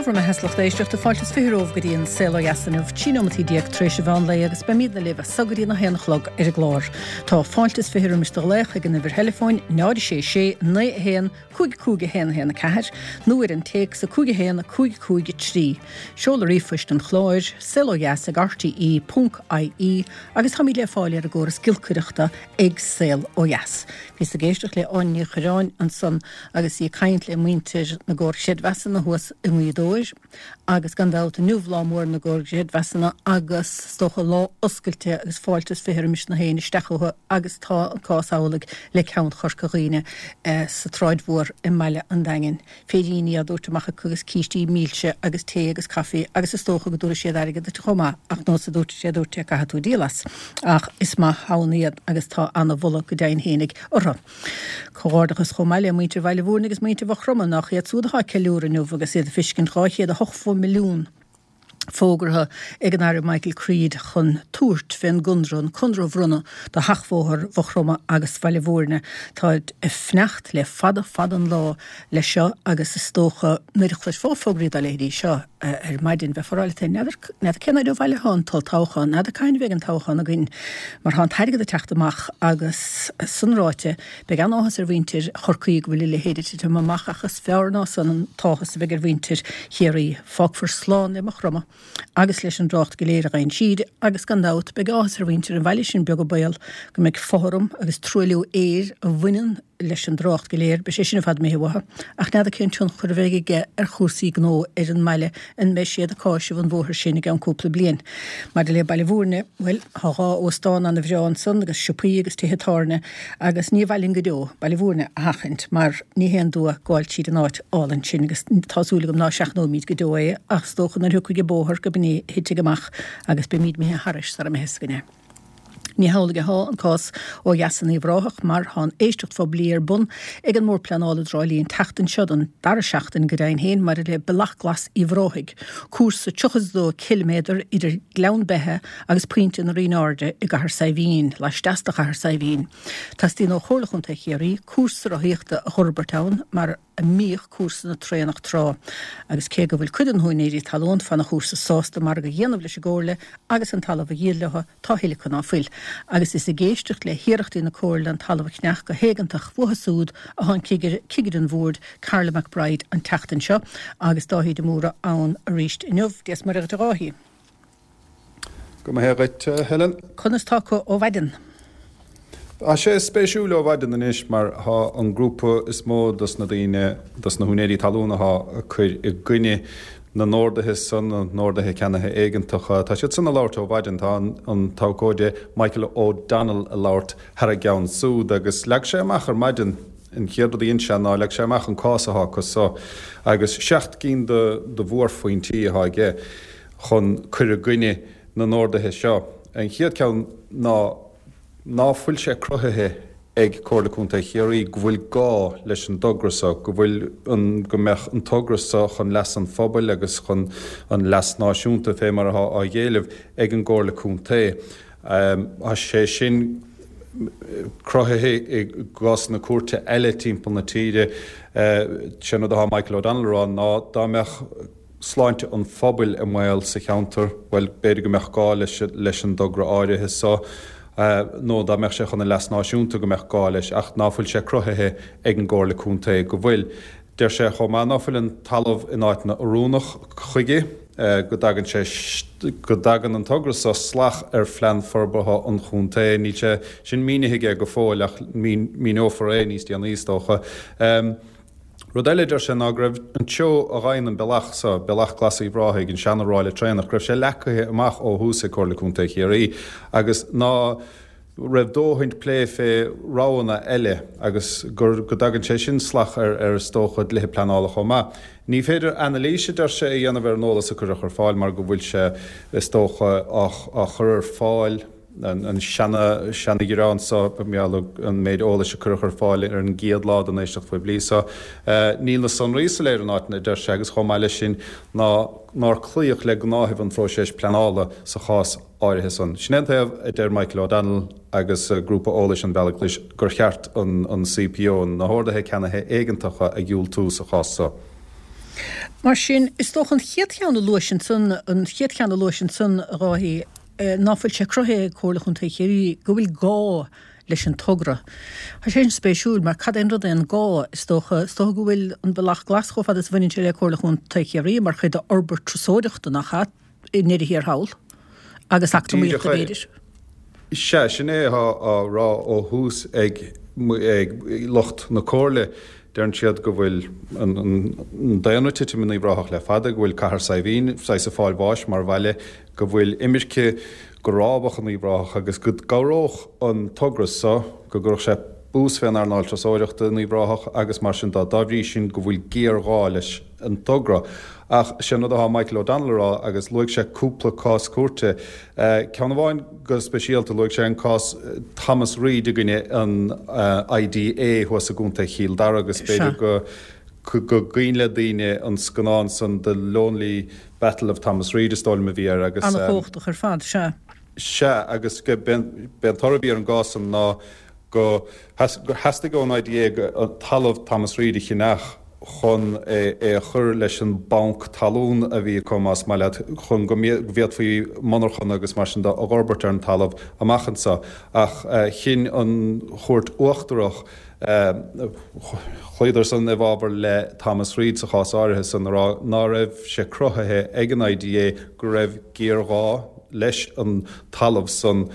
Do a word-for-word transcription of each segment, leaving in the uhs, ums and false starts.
Dia bhur mbeatha, a lucht éisteachta, fáilte is fiche romhaibh go dtí an Saol Ó Dheas inniu, trí nóimeataí déag tar éis an mheán lae agus beimidne libh as so go dtí a haon a chlog ar an gclár. Tá fáilte is fiche roimis do ghlaoch ag an uimhir theileafóin náid a sé sé naoi a haon cúig cúig a haon a haon a ceathair nó ar an téacs a cúig a haon a cúig cúig a trí. Seoladh ríomhphoist an chláir, saol ó dheas ag R T E ponc I E, agus táimid le fáil ar an gcóras giolcaireachta ag Saol Ó Dheas. Bhíos ag éisteacht le Áine Ní Chuireáin ansan agus í ag caint le muintir na gcomhar creidmheasanna thuas i nGaoth Dobhair, agus gan dabht inniu lá mór na gcomhar creidmheasanna agus is dócha lá oscailte agus fáilte is fiche roimis na héinne isteach chucu, agus tá an cás amhlaidh le ceann Chorca Dhuibhne eh, sa tSráid Mhór i mbaile an Daingin. Féiríní á dtabhairt amach acu agus cístí milse agus tae agus caife, agus is dócha go dtabharfaidh siad airgead duit chomh maith, ach nós a dúirt sé dúirt sé caithfidh tú díol as. Ach is maith ann iad agus tá an-mholadh go deimhin fhéinig orthu. Comhghairdeachas chomh maith le muintir Bhaile Mhúirne agus muintir Mhaigh Chromtha, nach iad súd atá ag ceiliúradh inniu agus iad ag feiscint dhá chéad a hochtó milliún fógartha ag an Aire Michael Creed chun tabhairt fén gconradh, an conradh a bhronnadh do sheachbhóthar Mhaigh Chromtha agus Bhaile Mhúirne. Tá ag fanacht le fada fada an lá leis seo, agus is dócha nuair a chloisfeá fógraí dá leithéidí seo ar maidin bheifeá ag rá leat féin, n'fheadar cén uair ó bhaile atá an t-olltoghchán, n'fheadar cathain a bheidh an toghchán againn, mar tá an t-airgead ag teacht amach agus san ráite beidh an-áthas ar mhuintir Chorcaí go bhfuil a leithéid ag titim amach, ach is fearr ná san an t-áthas a bheidh ar mhuintir Chiarraí. Fágfar slán le Maigh Chromtha agus leis an dtrácht go léir a gheibheann siad, agus gan dabht beidh áthas ar mhuintir an bhaile sin beag an baol go mbeidh fothram agus truailliú aeir a bhaineann leis an dtrácht go léir, beidh sé sin ar fad imithe uathu, ach n'fheadar cén tionchar a bheidh aige ar chúrsaí gnó ar an mbaile, an mbeidh siad ag cáiseamh an bhóthair sin i gceann cúpla bliain. Maidir le Baile Mhúirne, bhuel, tá dhá óstán an-bhreá ansan agus siopaí agus tithe tábhairne, agus ní mhaith linn go deo Baile Mhúirne a sheachaint mar ní haon dua gabháil tríd an áit álainn sin, agus tá súil agam ná seachnóimid go deo é, ach is dócha nuair a thiocfaidh an bóthar go b'in é a thitfidh amach agus beimid imithe thairis sara mbeidh fhios againn é. Ní hamhlaidh atá an cás ó dheas in Uíbh Ráthach, mar tá an éisteacht phoiblí ar bun ag an mBord Pleanála i dTrá Lí an tseachtain seo, don dara seachtain go deimhin féin, maidir le Bealach Glas Uíbh Ráthaigh, cúrsa tríocha is dó ciliméadar idir Gleann Beithe agus Pointe na Rinne Airde i gCathair Saidhbhín, laisteas de Chathair Saidhbhín. Teastaíonn ó Chomhairle Chontae Chiarraí cúrsa rothaíochta a fhorbairt ann mar a mbíodh cúrsa na traenach tráth, agus cé go bhfuil cuid de na húinéirí talún fana chúrsa sásta margadh a dhéanamh leis an gComhairle agus an talamh a dhíol leo, tá a thuilleadh acu ná fuil. Agus is ag éisteacht le hiarrachtaí na Comhairle an talamh a cheannach go héigeantach uathu súd atá an cigire, cigire an bhoird, Carla McBride, an tseachtain seo, agus Dáithí de Mórdha ann arís inniu. Dia is Muire dhuit, a Dháithí. Go maith dhuit, Helen. Conas tá acu ó mhaidin? Tá sé spéisiúil ó mhaidin anois mar tá an grúpa is mó dos na daoine, dos na húinéirí talún atá ag cur i gcoinne na n-orduithe san, na n-orduithe ceannaithe éigeantacha. Tá siad san ag labhairt ó mhaidin. Tá an t-abhcóide Michael O'Donnell ag labhairt thar a gceann súd agus leag sé amach ar maidin, an chéad rud a dhein sé ná leag sé amach an cás atá acu so agus seacht gcinn de de mhórphointí atá aige chun cur i gcoinne na n-orduithe seo. An chéad ceann ná ná fuil sé cruthaithe ag Comhairle Contae Chiarraí go bhfuil gá leis an dtogra so, go bhfuil an, go mbeadh an togra so chun leas an phobail agus chun an leas náisiúnta fé mar atá á éileamh ag an gComhairle Contae. Tá sé sin cruthaithe i gcásanna cúirte eile timpeall na tíre. Sin rud atá Michael O'Donnell a rá ná dá mbeadh sláinte an phobail i mbaol sa cheantar, bhuel, b'fhéidir go mbeadh gá leis leis an dtogra áirithe so, nó dá mbeadh sé chun an leas náisiúnta go mbeadh gá leis, ach ná fuil sé cruthaithe ag an gComhairle Contae go bhfuil. Deir sé chomh maith ná fuil an talamh in áiteanna oiriúnach chuige, go dtagann sé go dtagann an togra so salach ar phlean forbartha an chontae. Níl sé sin mínithe aige go fóill ach míneofar é níos déanaí is dócha. Rud eile a deir sé ná go raibh an treo a ghabhann an bealach so, Bealach Glas Uíbh Ráthaigh, an seana-ráille traenach, go raibh sé leagtha amach ó thús ag Comhairle Contae Chiarraí agus ná raibh dóthain plé fé roghanna eile agus gur go dtagann sé sin salach ar ar is dócha dlíthe pleanála chomh maith. Ní féidir anailís, a deir sé, a dhéanamh ar an eolas a cuireadh ar fáil mar go bhfuil sé is dócha á á chur ar fáil an seana seana-ghearán so an méid eolais a cuireadh ar fáil ar an gcéad lá den éisteacht phoiblí so. Níl na sonraí soiléir in áiteanna, a deir sé, agus chomh maith leis sin ná nár cloíodh le gnáthaimh an phróiseas pleanála sa chás áirithe san. Sin é an taobh a deir Michael O'Donnell agus grúpa eolais an Bhealaigh Ghlais gur cheart an an C P O, na horduithe ceannaithe éigeantacha, a dhiúltú sa chás so. Mar sin, is dócha an chéad cheann a luais ansan, an chéad cheann a luais ansan, a Dháithí, ná fuil sé cruthaithe ag Comhairle Chontae Chiarraí go bhfuil gá leis an togra. Tá sé sin spéisiúil mar cad é an rud é an gá? Is dócha, is dócha go bhfuil an Bealach Glas chomh fada is a bhaineann sé le Comhairle Chontae Chiarraí mar chuid d'fhorbairt turasóireachta, nach ea, i ndeireadh thiar thall, agus eacnamaíochta b'fhéidir. Sea, sin é atá á rá ó thús ag lucht na Comhairle. Deireann siad go bhfuil an daonra ag titim in Uíbh Ráthach le fada, go bhfuil Cathair Saidhbhín saghas ag fáil bháis mar bhaile, go bhfuil imirce go rábach in Uíbh Ráthach agus go gcabhródh an togra so, go gcuirfeadh sé bús fén earnáil turasóireachta in Uíbh Ráthach agus mar sin dá. Dá bhrí sin go bhfuil géarghá leis an togra. Ach sé an rud atá Michael O'Donnell a rá, agus luaigh sé cúpla cás cúirte, ceann amháin go speisialta, luaigh sé an cás Thomas Reid i gcoinne an IDA thuas i gContae Chill Dara agus b'fhéidir go go gcuimhin le daoine an scannán san The Lonely Battle of Thomas Reid is dóigh liom a bhí air agus. An-chumhachtach ar fad, sea. Sea, agus b'é an toradh a bhí ar an gcás san ná go gur theastaigh ón IDA talamh Thomas Reid a cheannach chun é a chur leis an banc talún a bhí acu, más maith leat, chun go bhféadfaí monarchana agus mar sin de a fhorbairt ar an talamh amach anseo. Ach chinn an Chúirt Uachtarach, chloíodar san i bhfabhar le Thomas Reid sa chás áirithe san, a rá ná raibh sé cruthaithe ag an IDA go raibh géarghá leis an talamh san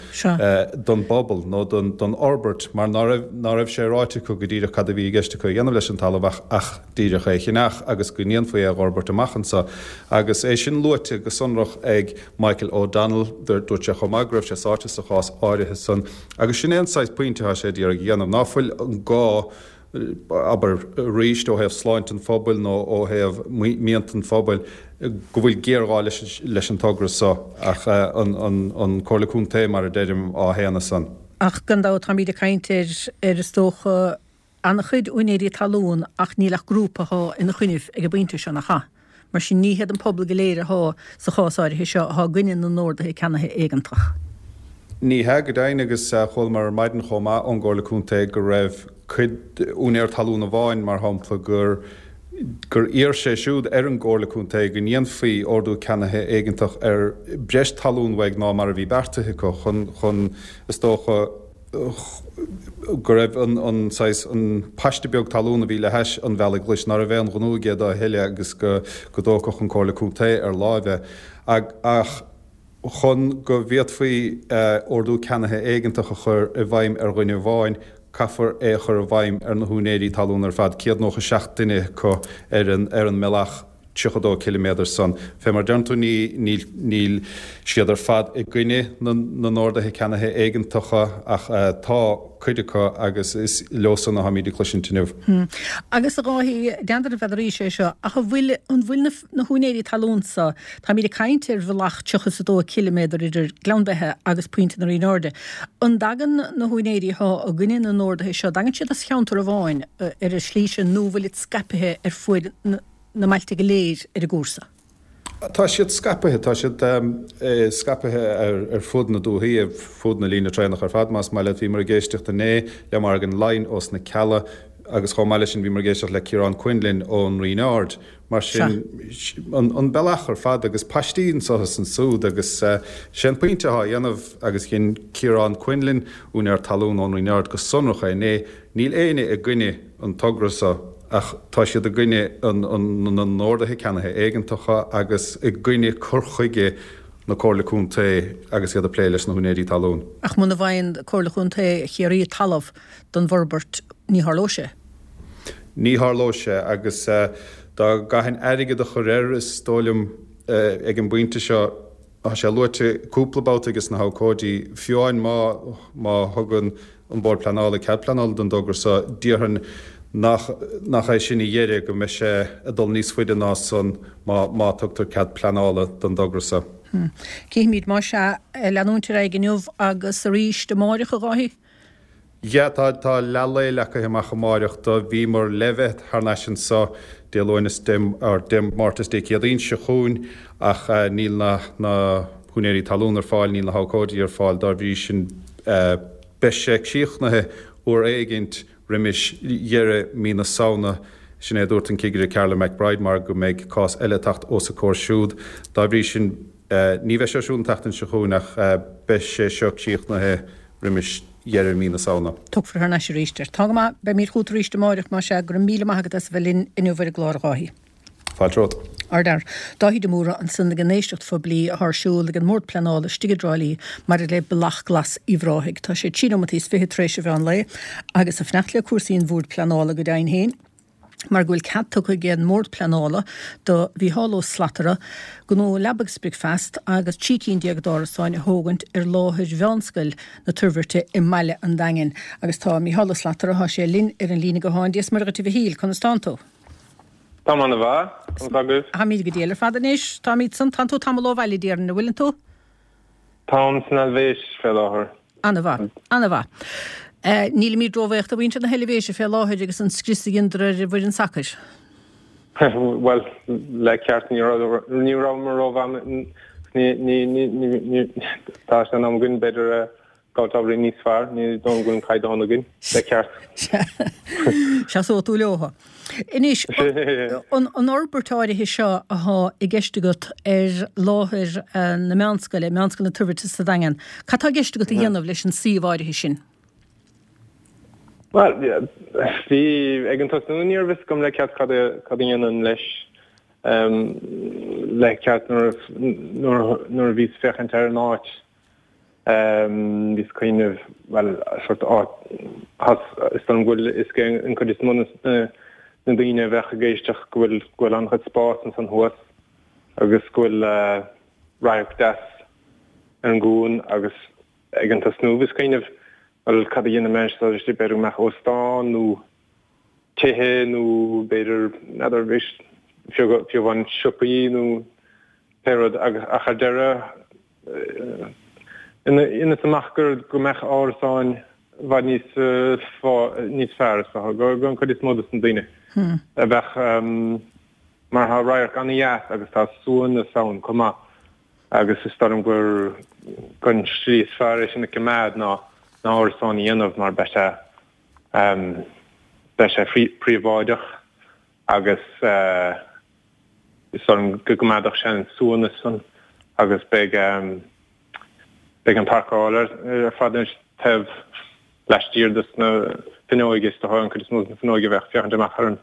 don bpobal nó don fhorbairt mar ná raibh ná raibh sé ráite acu go díreach cad a bhí i gceist acu a dhéanamh leis an talamh ach ach díreach é a cheannach agus go ndéanfaí é a fhorbairt amach anseo. Agus é sin luaite go sonrach ag Michael O'Donnell, dúirt sé chomh maith go raibh sé sáite sa chás áirithe san agus sin é an saghas pointe atá sé d'iarraidh a dhéanamh, ná fuil an gá abair, arís, ó thaobh sláinte an phobail nó ó thaobh mianta an phobail, go bhfuil géarghá leis an togra so, ach an Comhairle Contae, mar a deirim, á shéanadh san. Ach gan dabht táimid ag caint ar, ar is dócha, an-chuid úinéirí talún ach níl ach grúpa atá ina choinnibh ag an bpointe seo, nach ea? Mar sin ní hiad an pobal go léir atá sa chás áirithe seo atá i gcoinne na n-orduithe ceannaithe éigeantach. Ní hea, go deimhin, agus chualamar ar maidin chomh maith ón gComhairle Contae go raibh cuid, úinéir talún amháin, mar shampla, gur gur iarr sé siúd ar an gComhairle Contae go ndéanfaí ordú ceannaithe éigeantach ar breis talún uaidh ná mar a bhí beartaithe acu chun, chun, is dócha, go raibh an, an saghas, an paiste beag talún a bhí le hais an Bhealaigh Ghlais, ná raibh aon ghnó aige dó a thuilleadh agus go, go dtógfadh an Comhairle Contae ar láimh é. Ach. Chun go bhféadfaí ordú ceannaithe éigeantach a chur i bhfeidhm ar dhuine amháin, caithfear é a chur i bhfeidhm ar na húinéirí talún ar fad, céad nócha seacht duine acu ar an ar an mbealach tríocha dó ciliméadar san. Fé mar deireann tú, ní níl níl siad ar fad i gcoinne na na n-orduithe ceannaithe éigeantacha ach tá cuid acu agus is leo san atháimid ag cloisint inniu. Agus a Dháithí, n'fheadar n'fheadarís é seo, ach an bhfuil an bhfuil na na húinéirí talún so, táimid ag caint ar bhealach tríocha is a dó ciliméadar idir Gleann Beithe agus Pointe na Rinne Airde, an dtagann na húinéirí atá i gcoinne na n-orduithe seo, dtagann siad as cheantar amháin ar an slí sin nó an bhfuilid scaipthe ar fuaid na mbailte go léir ar an gcúrsa? Tá siad scaipthe, tá siad scaipthe ar fud na dúichí, ar fud na líne traenach ar fad, más maith leat. Bhíomar ag éisteacht inné le Morgan Lyne ós na Cealla agus chomh maith leis sin bhíomar ag éisteacht le Ciarán Quinlan ón Rinn Ard. Mar sin, an bealach ar fad agus paistí anso is ansúd agus sé an pointe atá á dhéanamh agus dhein Ciarán Quinlan, úinéir talún ón Rinn Ard go sonrach é inné, níl éinne i gcoinne an togra so. Ach tá siad i gcoinne na n-orduithe ceannaithe éigeantacha agus i gcoinne cur chuige na Comhairle Contae agus iad ag plé leis na húinéirí talún. Ach muna bhfaigheann Comhairle Chontae Chiarraí talamh don bhforbairt, ní tharlóidh sé. Ní tharlóidh sé agus dá gcaithfinn airgead a chur air, is dóigh liom ag an bpointe seo, tá sé luaite cúpla babhta ages na habhcóidí, fiú amháin má má thugann an Bord Pleanála cead pleanála don dtogra so, déarfainn nach nach é sin a dheireadh, go mbeidh sé ag dul níos faide ná san má má tugtar cead pleanála don dtogra so. Cífimid, más ea, leanúint ar aghaidh inniu agus arís amáireach, a Dháithí. Yeah, tá, tá leath lae leagtha amach amáireach do. Bhíomar le bheith thar n-ais anso Dé Luain is Dé, or Dé Máirt is Dé Céadaoin seo chugainn ach níl na, na húinéirí talún ar fáil, níl na habhcóidí ar fáil, dá bhrí sin beidh sé críochnaithe uair éigint roimis dheireadh mí na Samhna Sin é a dúirt an Cigire Carla McBride mar go mbeidh cás eile ag teacht os a comhair siúd. Dá bhrí sin, ní bheidh sé ar siúl an tseachtain seo chugainn ach beidh sé seo críochnaithe roimis dheireadh mí na Samhna. Tiocfar thar n-ais arís air. Tá go maith, beimid chugat arís amáireach más ea. Go raibh míle maith agat as a bheith linn inniu ar an gclár, a Dháithí. Fáilte romhat. Ardfhear. Dáithí de Mórdha ansan ag an éisteacht phoiblí atá ar siúl ag an mBord Pleanála istigh i dTrá Lí maidir le Bealach Glas Uíbh Ráthaigh. Tá sé trí nóimeataí is fiche tar éis an mheán lae agus ag fanacht le cúrsaí an Bhoird Pleanála go deimhin féin mar go bhfuil cead tugtha ag an mBord Pleanála do Mhícheál Ó Slatara gnó Leaba agus Bricfeast agus trí cinn déag d'árasáin a thógaint ar láthair Mheánscoil na Toirbhirte i mbaile an Daingin. Agus tá Mícheál Ó Slatara, tá sé linn ar an líne gutháin. Dia is Muire dhuit a Mhichíl, conas tánn tú? Táim ana-mhaith, conas tá agaibh? Táimid go diail ar fad anois. Táimid san, tánn tú tamall ó bhaile déarfainn, an bhfuileann tú? Táim san Eilvéis fé láthair. Ana-mhaith. Ana-mhaith. Nílimid róbhuíoch de mhuintir na hEilvéise fé láthair agus an scrios a dheineadar ar an bhfoireann sacair. Bhuel, le ceart ní rabhamar rómhaith, ní, ní, ní, tá sé in am againn b'fhéidir gabháil ábhairín níos fearr, ní dóigh liom go bhfuil an caighdeán againn, le ceart. Seasóidh tú leothu. Anois, an fhorbairt áirithe seo athá i gceist agat ar láthair na meánscoile, Meánscoil na Toirbhirte sa Daingean, cad tá i gceist agat a dhéanamh leis an suíomh áirithe sin? Bhuel, bhí, ag an tosnú ní raibh fhios agam le ceart cad a dhéanfainn leis le ceart nuair a bhíos ag féachaint ar an áit. Bhíos ag cuimhneamh, bhuel, sórt áit, is dóigh liom go bhfuil fhios ag an chuid is mó de na daoine a bheadh ag éisteacht go bhfuil go bhfuil an-chuid spás ansan thuas agus go bhfuil radharc deas ar an gcuan agus ag an tosnú bhíos ag cuimhneamh, bhuel, cad a dhéanfaidh mé anseo, b'fhéidir go mbeadh óstán nó tithe nó b'fhéidir, n'fheadar, fiú fiú amháin siopaí nó pé rud agus ach ar deireadh Dheineas amach gur go mbeadh árasáin i bhfad níos níos fearr is dócha don chuid is mó dos na daoine a bheadh mar tá radharc ana-dheas agus tá suaimhneas ann chomh maith agus is dóigh liom gur gur an slí is fearr é sin a choimeád ná ná árasáin a dhéanamh mar beidh sé beidh sé príobháideach agus is dóigh liom go gcoimeádfadh sé an suaimhneas san agus beidh beidh an parcáil ar fad anois taobh laistiar dos na fuinneoige is dócha an chuid is mó de na fuinneoige a bheadh féachaint amach ar an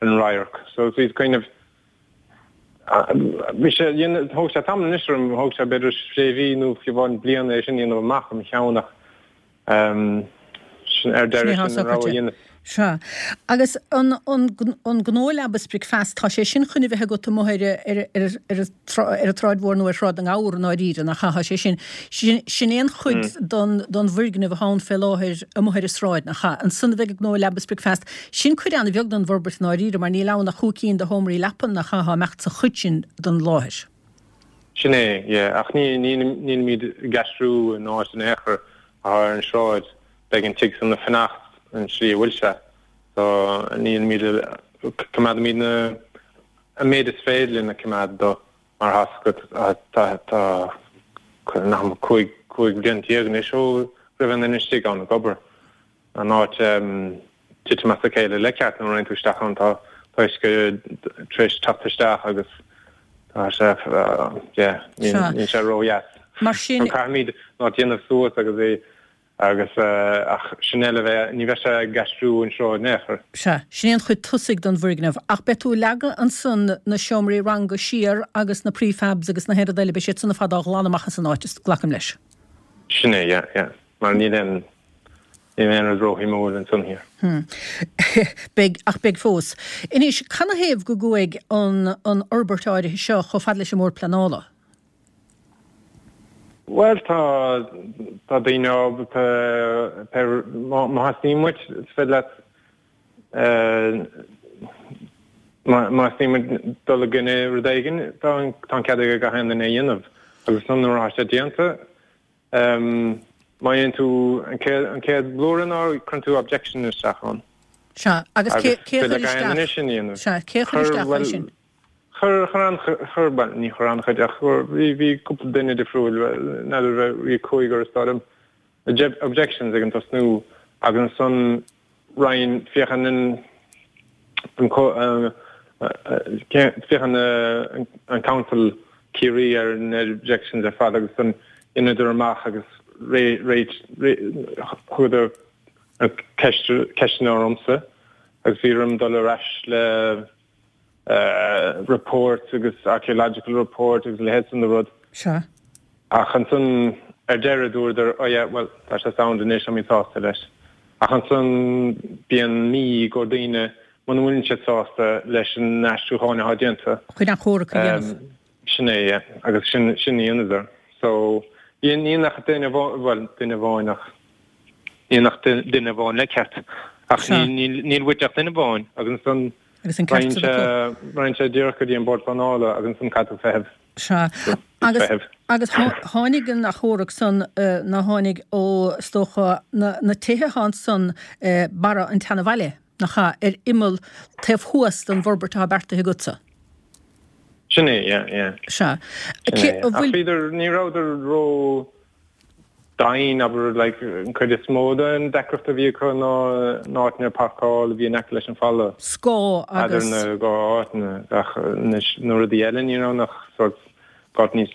ar an radharc. So bhíos ag cuimhneamh bhí sé thóg sé tamall anois orm thóg sé b'fhéidir sé mhí nó fiú amháin bliain é sin a dhéanamh amach i mo cheann ach Sin ar deireadh sin an rogha a dhéanamh. Sea. Agus an gnó Leaba is Bricfeast, tá sé sin chun a bheith agat amuigh ar an tSráid Mhór nó ar Shráid na nGabhar i ndáiríre, nach ea? Tá sé sin, sin é an chuid den bhfoirgneamh atá ann fé láthair amuigh ar an sráid, nach ea? Ansan a bheidh an gnó Leaba is Bricfeast. Sin cuid an-bheag den bhforbairt i ndáiríre mar níl ann ach cúig cinn de sheomraí leapan, nach ea, dá mbeadh sa chuid sin den láthair. Sin é, yeah. Ach ní, nílimid ag aistriú an áit in aon chor. atá ar an sráid, beidh an tigh san ag fanacht an slí a bhfuil sé. So nílimid, coimeádaimid na, an méid is féidir linn a choimeád dó mar tá 's agat, tá, tá, nach cúig, cúig bliana déag anois ó go raibh aon duine istigh ann ag obair. An áit titim as a chéile le ceart nuair a théann tú isteach ann tá uisce tar éis teacht isteach agus tá sé yeah níl sé ródheas. Mar sin. Caithfimid an áit a dhéanamh suas agus é agus ach sin eile bheith ní bheidh sé ag aistriú an sráid in aon chor. Sea, sin é an chuid tosaigh den bhfoirgneamh. Ach beidh tú ag leagadh ansan na seomraí ranga siar agus na prefabs agus na haon rud eile, beidh siad san ar fad á ghlanadh amach as an áit, glacaim leis. Sin é, yeah, yeah. Mar níl aon Níl aon rud róshuimiúil ansan thiar. Beidh, ach beidh fós. Anois, canathaobh go gcuaigh an an fhorbairt áirithe seo chomh fada leis an mBord Pleanála? Bhuel, tá, tá daoine ábalta, pé, má, má theastaíonn uait, is féidir leat, má, má theastaíonn uait dul i gcoinne rud éigin, tá an, tá an cead ag gach aon duine é a dhéanamh. Agus ansan nuair atá sé déanta, Má dhéanann tú an chéad an chéad blúire ná cuireann tú objection isteach ann. Sea, agus cé cé a chuir isteach? Sea, cé a chuir isteach é sin? Chuir chuir an chuir bhuel ní chuir an-chuid ach chuir bhí bhí cúpla duine difriúil n'fheadar bhí cúigear is dóigh liom objections ag an tosnú agus ansan roinn féachann an an féachann an council Ciarraí ar na objections ar fad agus an dheineadar amach agus thugadar ceisteanna ormsa agus bhí orm dul ar ais le report agus archaeological report agus leithéid san de rud. Sea. Ach ansan ar deireadh dúradar oh yeah well tá sé sound anois tá mé sásta leis. Ach ansan bíonn mí go daoine muna bhfuil siad sásta leis an aistriúchán atá déanta. Chun achomharc a dhéanamh. Sin é, yeah. Agus sin sin a dhéanadar. So ní ní ach duine bhuel duine amháin ach ní ach duine amháin le ceart. Ach níl uait ach duine amháin agus ansan Agus an ceart sin acu. Raghaidh sé díreach go dtí an Bord Pleanála agus ansan caithfidh tú feitheamh. Sea. Agus agus tháinig an achomharc san ná tháinig ó is dócha na na tithe atá ansan barra an tseanabhaile, nach ea, ar imeall taobh thuas den bhforbairt atá beartaithe agatsa. Sin é, yeah, yeah. Sea. Sin é. Ach bhíodar, ní rabhadar ró dian, abair, like, an chuid is mó den deacracht a bhí acu ná na áiteanna páirceála a bhí in aice leis an falla. Scáth agus. Eadar na dhá áiteanna, ach na rudaí eile ní raibh ach sort got níos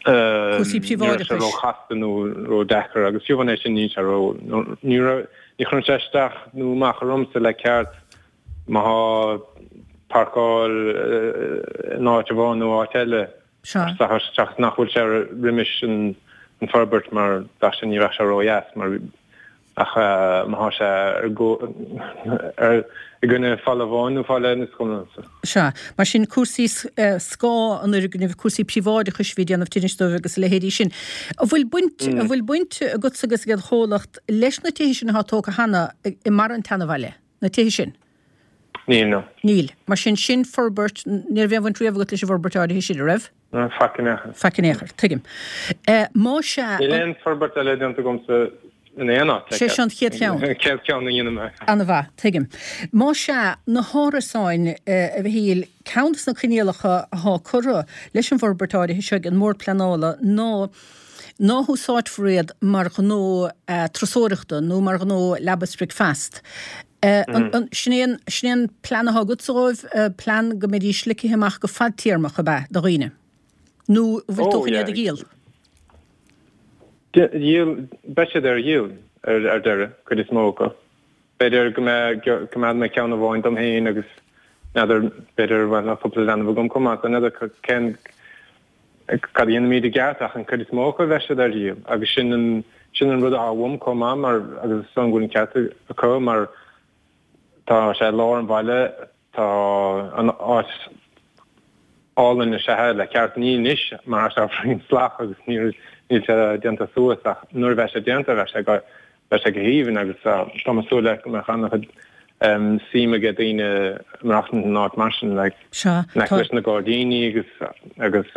Cúrsaí ní raibh sé príobháideachais. ró-chasta nó ró-deacair agus fiú amháin é sin níl sé ró, ní raibh, ní chuireann sé isteach nó amach ormsa le ceart má thá páirceáil in áit amháin nó áit eile. Sea. Seachas nach bhfuil sé roimis an forbairt mar bheadh sé, ní bheadh sé ródheas mar ach má thá sé ar i gcoinne falla amháin nó falla eile is cuma liomsa. Sea. Mar sin cúrsaí scáth an fhoirgnimh, cúrsaí príobháideachais a bhí ag déanamh tinnis dóibh agus a leithéidí sin. An bhfuil baint, an bhfuil baint agatsa agus ag an chomhlacht leis na tithe sin atá tógtha cheana i mbarra an tseanabhaile, na tithe sin? Níl, no. Níl. Mar sin, sin forbairt, ní raibh aon bhaint riamh agat leis an bhforbairt áirithe sin, an raibh? No, faic in aon chor. Faic in aon chor, tuigim. Má sea. Níl aon forbairt eile déanta agamsa in aon áit. Sé seo an chéad cheann. An chéad cheann a dhéanfaidh mé. An-mhaith, tuigim. Má sea, na hárasáin, a Mhichíl, ceann de na coinníollacha atá curtha leis an bhforbairt áirithe seo ag an mBord Pleanála ná ná húsáidfear iad mar ghnó turasóireachta nó mar ghnó leaba 's bricfeasta. Sin é an, sin é an plean atá agatsa dhóibh, plean go mbeidís ligthe amach go fadtéarmach, ab ea, do dhaoine? Nó an bhfuil tú chun iad a dhíol? Dhíol, beidh siad ar dhíol ar deireadh, cuid is mó acu. B'fhéidir go mbeidh, coimeádfaidh mé ceann amháin dom féin agus n'fheadar, b'fhéidir, bhuel, tá cúpla leanbh agam chomh maith, so n'fheadar cén, cad a dhéanfaimid i gceart ach an chuid is mó acu bheidh siad ar dhíol agus sin an sin an rud atá uaim chomh maith mar agus is dóigh liom go bhfuil an ceart acu mar tá sé i lár an bhaile tá an áit álainn is ea le ceart ní anois mar tá sé faoin sceach agus níl níl sé déanta suas ach nuair a bheidh sé déanta bheidh sé go Beidh sé go haoibhinn agus tá mé ag súil le go mbeadh an-chuid suim aige daoine maireachtaint in áit mar sin, like, Sea, in aice tá. leis na gairdíní agus agus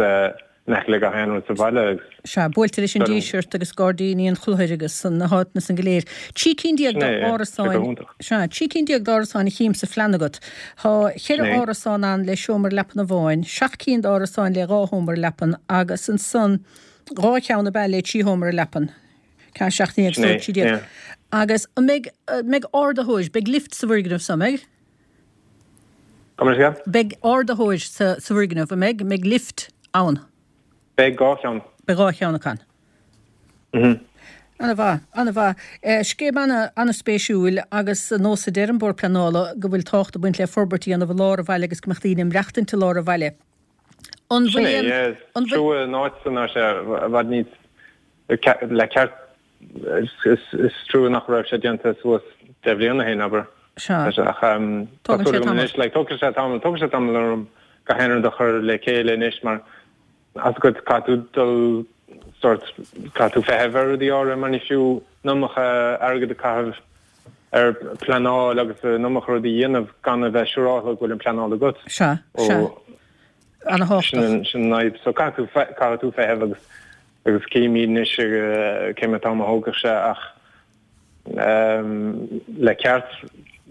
in aice le gach aon rud sa bhaile agus. Sea, buailte leis an Díseart agus gairdíní an Chlochair agus na háiteanna san go léir. Trí cinn déag Sin é, yeah, tá sé go d'árasáin, hiontach. sea, trí cinn déag d'árasáin a chím sa phlean agat. Tá Sin cheithre é. árasán ann le seomra leapan amháin, seacht cinn d'árasáin le dhá sheomra leapan agus ansan dhá cheann ab ea le trí sheomra leapan. Ceathair seacht ndéag Sin é, so trí déag. yeah. Agus an mbeidh, mbeidh ardaitheoir, beidh lift sa bhfoirgneamh so, an mbeidh? Gabh mo leithscéal? Beidh ardaitheoir sa, sa bhfoirgneamh, an mbeidh? Mbeidh lift ann? Beidh dhá cheann. Beidh dhá cheann acu ann. Mhm. Ana-mhaith, ana-mhaith. Scéim ana, ana-spéisiúil agus nós a deir an Bord Pleanála go bhfuil tábhacht ag baint le forbairt a dhéanamh i lár an bhaile agus go mbeadh daoine ag maireachtaint i lár an bhaile. An Sin bhfuil é, aon, yeah. Is an bhfuil. trua an áit san, tá sé i bhfad níos Le ceart, is trua nach raibh sé déanta suas deich mbliana ó shin, abair. Sea. Ach tá Tógann súil sé agam tamall. anois, like, tógfaidh sé tamall, tógfaidh sé tamall orm gach aon rud a chur le chéile anois mar tá a fhios agat caithfidh tú dul sort, caithfidh tú feitheamh ar rudaí áirithe mar ní fiú an iomarca airgead a chaitheamh ar pleanáil agus an iomarca rudaí a dhéanamh gan a bheith siúrálta go bhfuil an pleanáil agat. Sea, sea. Ó, Ana-thábhachtach. sin an, sin an fhadhb. So caithfidh tú, caithfidh tú feitheamh agus. Agus címid anois cé mhéad am a thógfaidh sé ach le ceart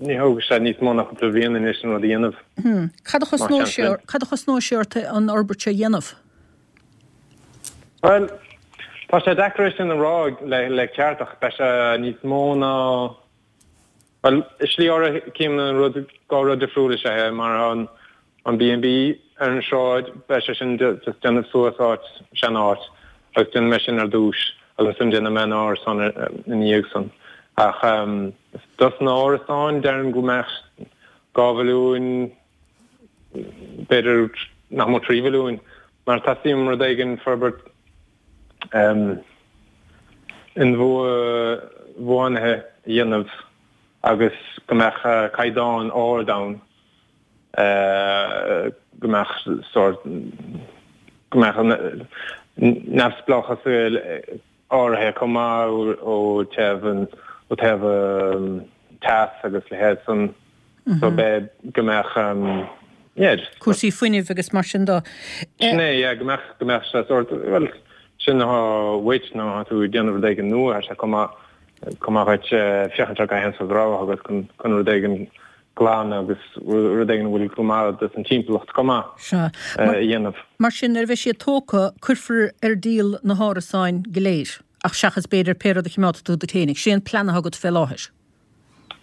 ní thógfaidh sé níos mó ná cúpla bliain anois an rud a dhéanamh. Cad a Más chosnóidh seans sé linn. cad a chosnóidh sé ort an fhorbairt seo a dhéanamh? Bhuel, tá sé deacair é sin a rá le ceart ach beidh sé níos mó ná Bhuel, i slí áirithe, cím an rud, dhá rud difriúil is ea é, mar an an B and B ar an sráid, beidh sé sin just déanamh suas áit, sean-áit, agus déanfaidh mé sin ar dtús, agus ansin déanfaidh mé an árasán ina dhiaidh san. Ach dos na árasáin, déarfainn go mbeadh dhá mhilliún, b'fhéidir nach mó trí mhilliún, mar teastaíonn rud éigin forbairt inbhuanaithe a dhéanamh agus go mbeadh caighdeán ard ann, go mbeadh sórt, go mbeadh neamhspleáchas áirithe chomh maith ó taobh an, ó taobh teas agus leithéid san so beidh, go mbeadh yeah just. Cúrsaí fuinnimh agus mar sin de. Sin é yeah go mbeadh, go mbeadh sé sórt, bhuel sin atá uait nuair atá tú ag déanamh rud éigin nua, tá sé chomh maith, chomh maith dhuit féachaint ar gach aon sórt rogha agat chun, chun rud éigin glan agus rud éigin a bhfuil go maith dos an timpeallacht chomh maith a dhéanamh. Mar sin, nuair a bheidh siad tógtha, cuirfear ar díol na hárasáin go léir, ach seachas b'fhéidir pé rud a choimeádfaidh tú duit féinig. Sin é an plean atá agat fé láthair.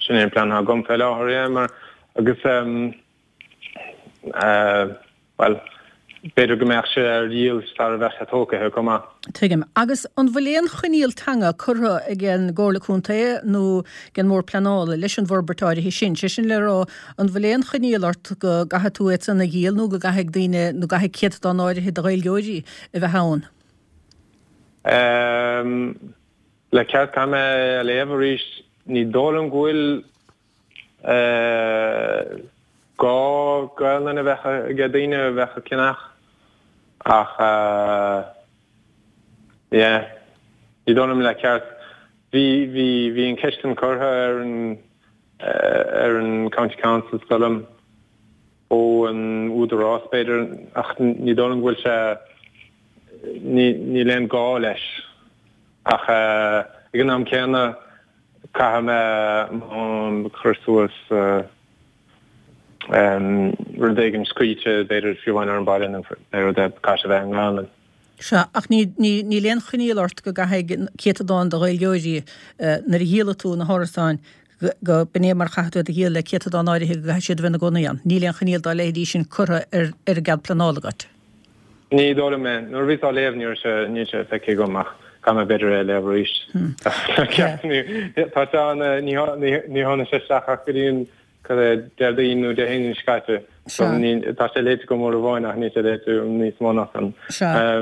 Sin é an plean atá agam fé láthair, yeah, mar agus eh, bhuel, b'fhéidir go mbeadh sé ar díol sara bheadh sé tógtha chomh maith. Tuigim. Agus an bhfuil aon choinníoll teanga curtha ag an gComhairle Contae nó ag an mBord Pleanála leis an bhforbairt áirithe sin? Sé sin le rá, an bhfuil aon choinníoll ort go gcaithfidh tú iad san a dhíol nó go gcaithfidh daoine, nó go gcaithfidh céatadán áirithe de Ghaeilgeoirí a bheith ann? Le ceart, caithfidh mé a léamh arís. Ní dóigh liom go bhfuil. Gá Gaelainn a bheith ag daoine a bheadh ag ceannach ach yeah ní dóigh liom le ceart. Bhí bhí bhí an ceist sin curtha ar an ar an County Council is dóigh liom ó an Údarás b'fhéidir ach ní dóigh liom go bhfuil sé ní níl aon gá leis ach ag an am céanna Caithfidh mé cur suas rud éigin scríte, b'fhéidir, fiú amháin ar an baile nó pé rud é, caithfidh sé a bheith i nGaelainn. Sea, ach níl aon choinníoll ort go gcaithfidh céatadán de Ghaeilgeoirí, nuair a dhíolfaidh tú na hárasáin, go b'in é mar a chaithfidh tú iad a dhíol le céatadán áirithe go gcaithfidh siad a bheith ina gcónaí ann. Níl aon choinníoll dá leithéidí sin curtha ar an gcead pleanála agat. Ní dóigh liom é. Nuair a bhíos á léamh ní raibh sé, níl sé feicthe agam ach caithfidh mé b'fhéidir é a léamh arís. Tá sé an, ní ní tháinig sé isteach ach go dtí an, cad é, Déardaoin nó Dé hAoine seo caite. So ní, tá sé léite agam uair amháin ach níl sé léite agam níos mó ná san. Sea.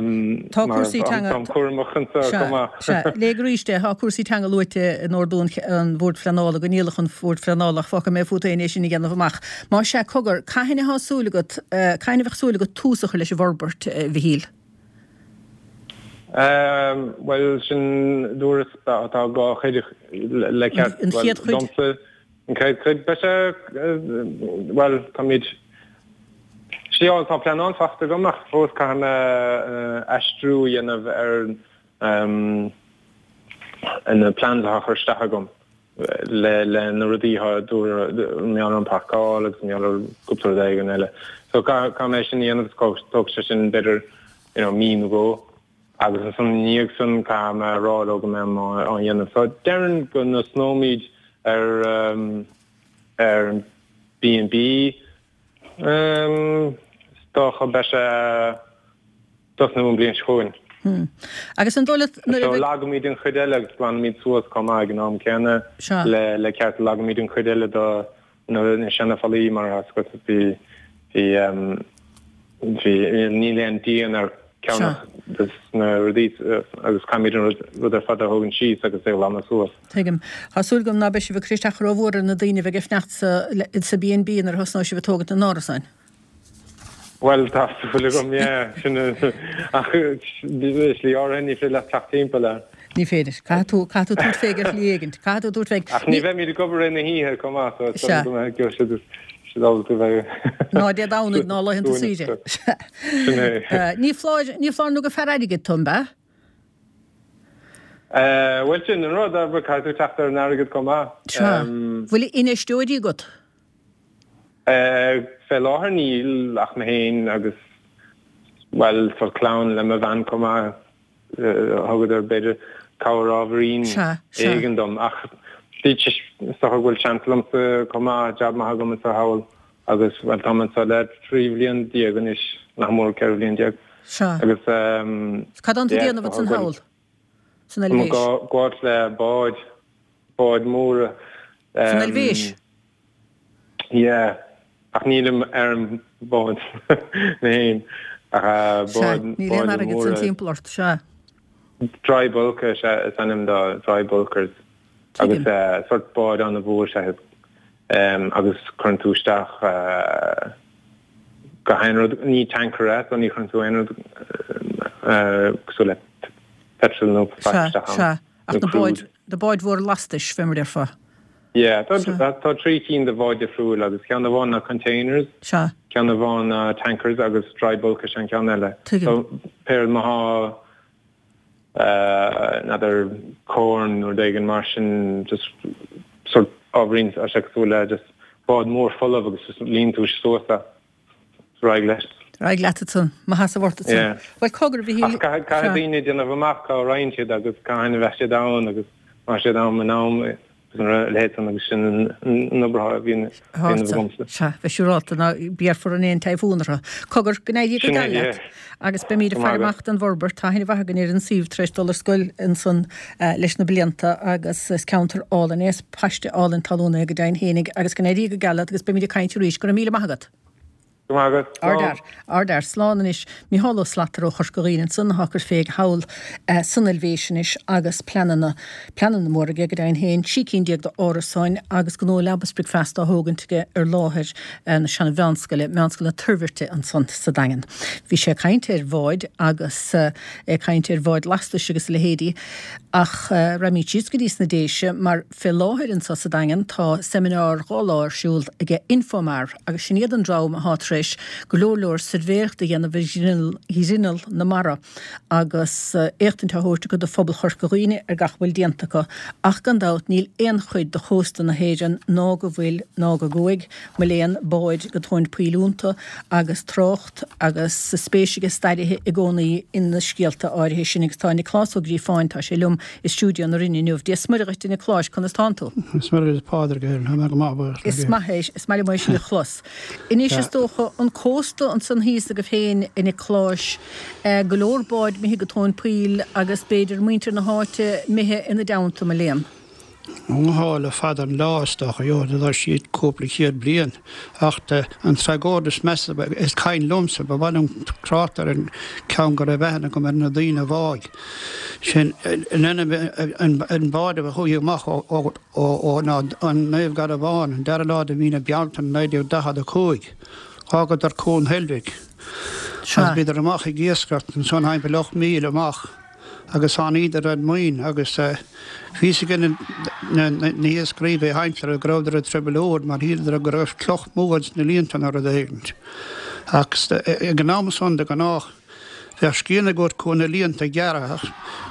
Tá Mar cúrsaí teanga, táim cúramach anseo sea, chomh maith. sea. Léigh arís é, tá cúrsaí teanga luaite in ordú an an Bhoird Phleanála, go ndíolfadh an Bord Phleanála ach fágfaidh mé fút féin é sin a dhéanamh amach. Más ea, cogar, cathain atá súil agat, cathain a bheadh súil agat tús a chur leis an bhforbairt, a Mhichíl? Bhuel, sin dúras, tá dhá chuid le ceart, An bhuel, chéad chuid? domsa, an chéad chuid, beidh sé, bhuel, táimid, sea, tá pleanáil faighte agam ach fós caithfidh mé aistriú a dhéanamh ar na plans atá curtha isteach agam. le le na rudaí atá dúradh mar gheall ar an parcáil agus mar gheall ar cúpla rud éigin eile. So caithfidh mé sin a dhéanamh agus tógfaidh sé sin b'fhéidir you know mí nó dhó agus ansan ina dhiaidh san caithfidh mé a rá leo go mbeidh mé á dhéanamh. So déarfainn go dtosnóimid ar ar an B and B is dócha beidh sé tosnú an bhliain seo chugainn. Agus an dóigh leat nuair a So bheidh. lagaimid an chuid eile agus glanaimid suas chomh maith ag an am céanna Sea. le le ceart lagaimid an chuid eile de na na seana-fhallaí mar tá a fhios agat bhí bhí bhí níl aon díon ar ceann Sea. de na rudaí agus caithfimid an rud rud ar fad a thógaint síos agus é a ghlanadh suas. Tuigim. Tá súil agam ná beidh sibh ag cur isteach rómhór ar na daoine a bheidh ag fanacht sa sa B and B nuair a thosnóidh sibh ag tógaint na n-árasán. Bhuel, tá súil agam, yeah. Sin ach i slí áirithe ní féidir leat teacht timpeall air. Ní féidir. Caithfidh tú, caithfidh tú tabhairt fé ar shlí éigin. Caithfidh tú tabhairt fé. Ach ní bheimid ag obair ina hoíche chomh maith, so is dóigh go mbeidh siad siad ábalta bheith Ná Dé Domhnaigh ná laethanta saoire. Sin é. Ní foláir, ní foláir nó gur fear airgid tú, an ea? Bhuel, sin an rud, caithfidh tú teacht ar an airgead chomh maith. Sea. Bhfuil infheisteoirí agat? Fé láthair níl ach mé féin agus, bhuel, sórt clann le mo bhean chomh maith. Thugadar b'fhéidir cabhair ábhairín Sea, sea. éigin dom ach Is dócha go bhfuil seans liomsa chomh maith, jab maith agam anseo thall agus bhuel táim anseo le trí bhliain déag anois, nach mór ceithre bhliain déag. Sea. Agus Cad tánn tú ag yeah, déanamh ansan go bhfuil thall san Eilvéis? Gabháil le báid, báid mhóra. San Eilvéis? Yeah, ach nílim ar an bád mé féin ach Sea, báid, níl aon báid airgead san mhóra. timpeall ort, sea. Dry bulker is ea is ainm dó, dry bulkers. Agus Tuigim. sort bád an-mhór is ea agus cuireann tú isteach gach aon rud, ní tanker é so ní chuireann tú aon rud cosúil le petrol nó faic Sea, isteach ann, sea. Ach nó na báid, crude. na báid mhóra lastais, fé mar a déarfá. Yeah, tá, Sea. tá trí cinn de bháid difriúil agus ceann amháin ná containers, Sea. ceann amháin ná tankers agus dry bulk is ea an ceann eile. Tuigim. So pé má thá n'fheadar corn nó rud éigin mar sin just sort ábhairín tá sé cosúil le just bád mór folamh agus just líon tú suas é. Ar aghaidh leis. Ar aghaidh leat ansan, maith as a bhort ansan. Yeah. Bhuel cogar bhí Ach caithfidh sea. daoine déanamh amach cá raghaidh siad agus cathain a bheidh siad ann agus má siad ann in am agus an leithéid san agus sin an obair a bhíonn déanamh agamsa. Sea, bheith siúrálta ná béarfar in aon typhoon orthu. Cogar, go n-éirí go Sin é, geal leat. yeah. Agus beimid ag Go faire maith agat. amach don bhforbairt. Tá aithne mhaith againn ar an suíomh tar éis dul ar scoil ansan leis na blianta agus is ceantar álainn é, is paiste álainn talún é go deimhin fhéinig agus go n-éirí go geal leat agus beimid ag caint arís. Go raibh míle maith agat. Go maith agat. Slán. Ardfhear, ardfhear. Slán anois. Micheál Ó Slatara ó Chorca Dhuibhne ansan atá ag cur fé thall san Eilvéis anois agus pleananna, pleananna móra aige go deimhin féin, trí cinn déag d'árasáin agus gnó leaba is bricfeasta á thógaint aige ar láthair na seana-mheánscoile, Meánscoil na Toirbhirte ansan sa Daingean. Bhí sé ag caint ar bháid agus é ag caint ar bháid lastais agus a leithéidí ach raghaimid síos go dtí sna Déise mar fé láthair anso sa Daingean tá seimineár dhá lá ar siúl aige Infomar agus sin iad an dream atá tar éis go leor leor suirbhéireacht a dhéanamh ar ghrinneall na mara agus éachtaint á thabhairt acu do phobal Chorca Dhuibhne ar gach a bhfuil déanta acu ach gan dabht níl aon chuid de chósta na hÉireann ná go bhfuil ná go gcuaigh mo léan báid go tóin poill iontu agus trácht agus spéis ag staraithe i gcónaí ina scéalta áirithe sin agus tá Nioclás Ó Gríofáin tá sé liom i stiúideo na Rinne inniu. Dia 's Muire dhuit a Niocláis, conas tánn tú? Is Muire is Pádraig é, tá mé go maith buíochas le Is Dia. maith é, is maith liom é sin a chlos. Anois is dócha an cósta ansan thíos agaibh féin a Niocláis, go leor báid imithe go tóin poill agus b'fhéidir muintir na háite imithe ina dteannta, mo léan. Ó le fada an lá is dócha, jo, tá siad cúpla céad bliain ach an tragóid is measa is cuimhin liomsa, ba mhaith liom trácht ar an ceann go raibh aithne agam ar na daoine a bháigh. Sin an bád a chuaigh amach ó ó ná an Naomh Garbhán an dara lá de mhí na Bealtaine naoi déag daichead a cúig. Fhágadar Cuan Heilbhic agus bhíodar amach ag iascaireacht ansan thimpeall ocht míle amach agus tháiníodar ar mine agus bhí fhios ag na hiascairí bhí aimsire go rabhadar i dtrioblóid mar shíleadar go raibh cloch mór ins na líonta nó rud éigint. Ach ag an am san de gnách bheadh scian agat chun na líonta a ghearradh ach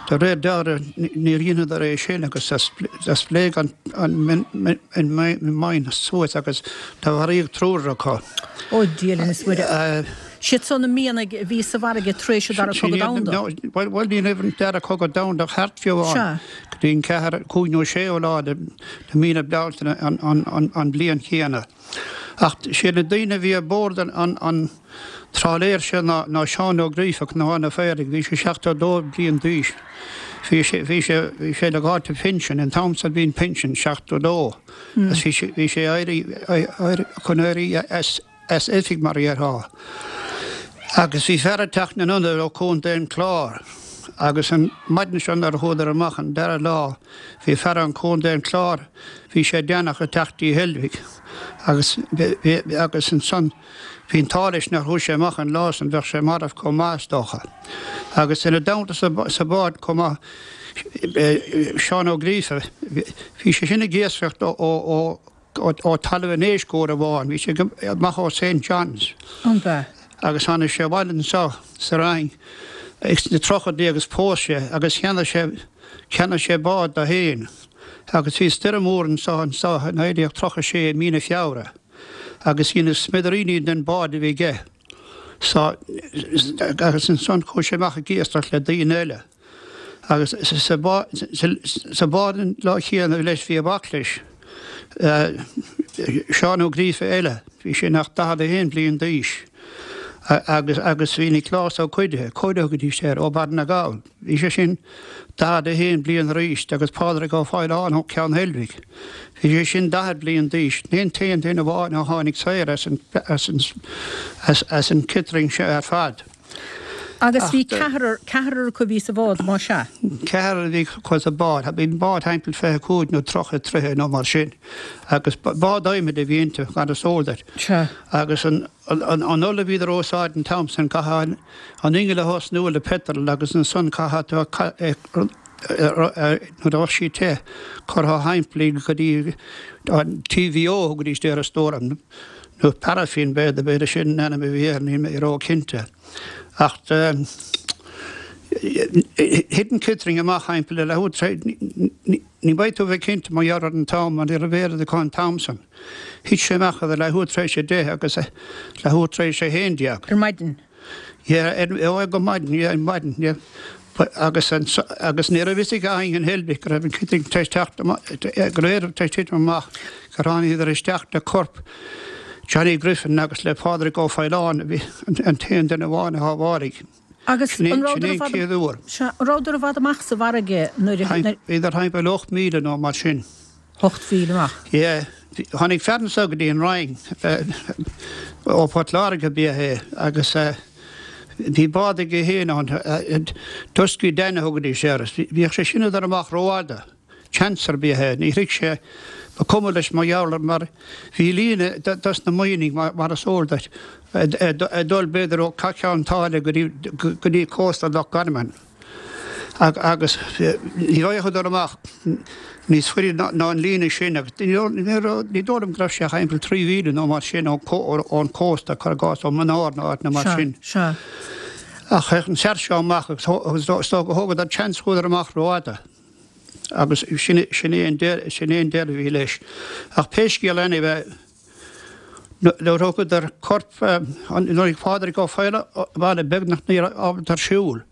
de réir dealraimh níor dheineadar é sin agus do spléach an mine suas agus do mharaíodh triúr acu. Ó Dia linn is Muire. Siad san na mianaigh a bhí sa bhfarraige tar éis an Dara Cogadh Domhanda. Bhuel ní raibh an Dara Cogadh Domhanda thart fiú amháin go dtí an ceathair, cúig nó séú lá de mhí na Bealtaine an bhliain chéanna. Ach siad na daoine a bhí ar bord an trálaeir sin ná Seán Ó Gríofa, Cnocán an Phaoraigh, bhí sé seachtó dó bliain d'aois. Bhí sé, bhí sé, bhí sé le dháta pinsin, an t-am san bhí an pinsean seachtó dó. Agus bhí sé, bhí sé éirí, chun éirí as, as oifig mar a dhéarfá. Agus bhí fear ag teacht ina ionad ó Chontae an Chláir. Agus an maidin seo nuair a chuadar amach an dara lá, bhí fear ón Chontae an Chláir, bhí sé déanach ag teacht dtí Heilbhic. Agus, agus ansan bhí an t-ádh leis nár chuaigh sé amach an lá san, bheadh sé marbh chomh maith is dócha. Agus ina dteannta sa bhád chomh maith, Seán Ó Gríofa, bhí sé sin ag iascaireacht ó, ó, ó Talamh an Éisc uair amháin, bhí sé amach ó Saint John's. An b'ea? Agus tháinig sé abhaile anseo sa Rinn sna tríochaidí agus phós sé agus cheannaigh sé, cheannaigh sé bád dó féin. Agus bhí stoirm mhór anseo anseo i naoi déag tríocha sé i mí na Feabhra agus deineadh smidiríní den bád a bhí aige. So, agus ansan chuaigh sé amach ag iascaireacht le daoine eile. Agus sa bád an lá chéanna leis bhí a mhac leis, Seán Ó Gríofa eile, bhí sé nach daichead a haon bliain d'aois, agus agus bhí Nioclás Ó Cuidithe, Cóide a thugaidís air, ó Bhaile na nGall, bhí sé sin daichead a haon bliain arís agus Pádraig Ó Faoláin ó Cheann Heilbhic, bhí sé sin daichead bliain d'aois, sin an t-aon duine amháin a tháinig saor as an as an as an ciotrang seo ar fad. Agus bhí ceathrar, ceathrar acu a bhí sa bhád, más ea? Ceathrar a bhí acu sa bád. Bhí an bád thimpeall fiche cúig nó tríocha troithe nó mar sin. Agus bád adhmaid a bhí inti, mar is eol duit. Sea. Agus an, an, an ola a bhíodar a úsáid an t-am san, caithfeá an ingeall a thosnú le peitreal agus ansan caithfeá tú a, nuair a bheadh sí te, curtha thimpeall í go dtí an TVO a thugaidís air is dóigh liom, nó paraffin b'fhéidir, b'fhéidir sin an ainm a bhí air, níl mé ró-chinnte. Ach thit an ciotrang amach thimpeall ar leathuair tar éis, ní bheidh tú a bheith cinnte mar gheall ar an t-am, mar ní raibh aird acu an t-am san. Thit sé amach idir leathuair tar éis a deich agus leathuair tar éis a haon déag. Ar maidin. Yeah, ó go maidin, yeah, ar maidin, yeah. Agus agus ní raibh fhios ag éinne in Heilbhic go raibh an ciotrang tar éis teacht amach, go raibh tar éis titim amach, gur tháinig isteach le corp Johnny Griffin agus le Pádraig Ó Faoláin a bhí an t-aon duine amháin a shábháladh. Agus Sin an é rabhadar i an bhfad chéad uair. Sea, an rabhadar i bhfad amach sa bhfarraige nuair a. Bhíodar thimpeall ocht míle nó mar sin. Ocht mhíle amach. Yeah. Tháinig fear anso go dtí an Rinn, ó Phort Láirge ab ea é, agus bhí bád aige féin ann, Dusky Dan a thugaidís air. Bhíodh sé sin ag dul amach rófhada. Chancer ab ea é. Ní shroich sé, ba cuma leis mar gheall ar mar bhí líne dos na mianaigh mar is eol duit ag dul b'fhéidir ó Cheann tSáile go dtí cósta Loch Garman agus ní bheadh ag dul amach níos faide ná an líne sin agus ní dóigh liom go raibh sé ach thimpeall trí mhíle nó mar sin ón cósta, cuir i gcás ó Mionár nó áiteanna mar sin. Ach théadh an fear seo amach agus is dócha gur thógadar chance chuadar amach rófhada. Agus sin é an deireadh a bhí leis. Ach pé scéal anyway, nuair a thógadar corp, nuair a bhí Pádraig Ó Faoláin abhaile beagnach ní raibh ábalta ar siúl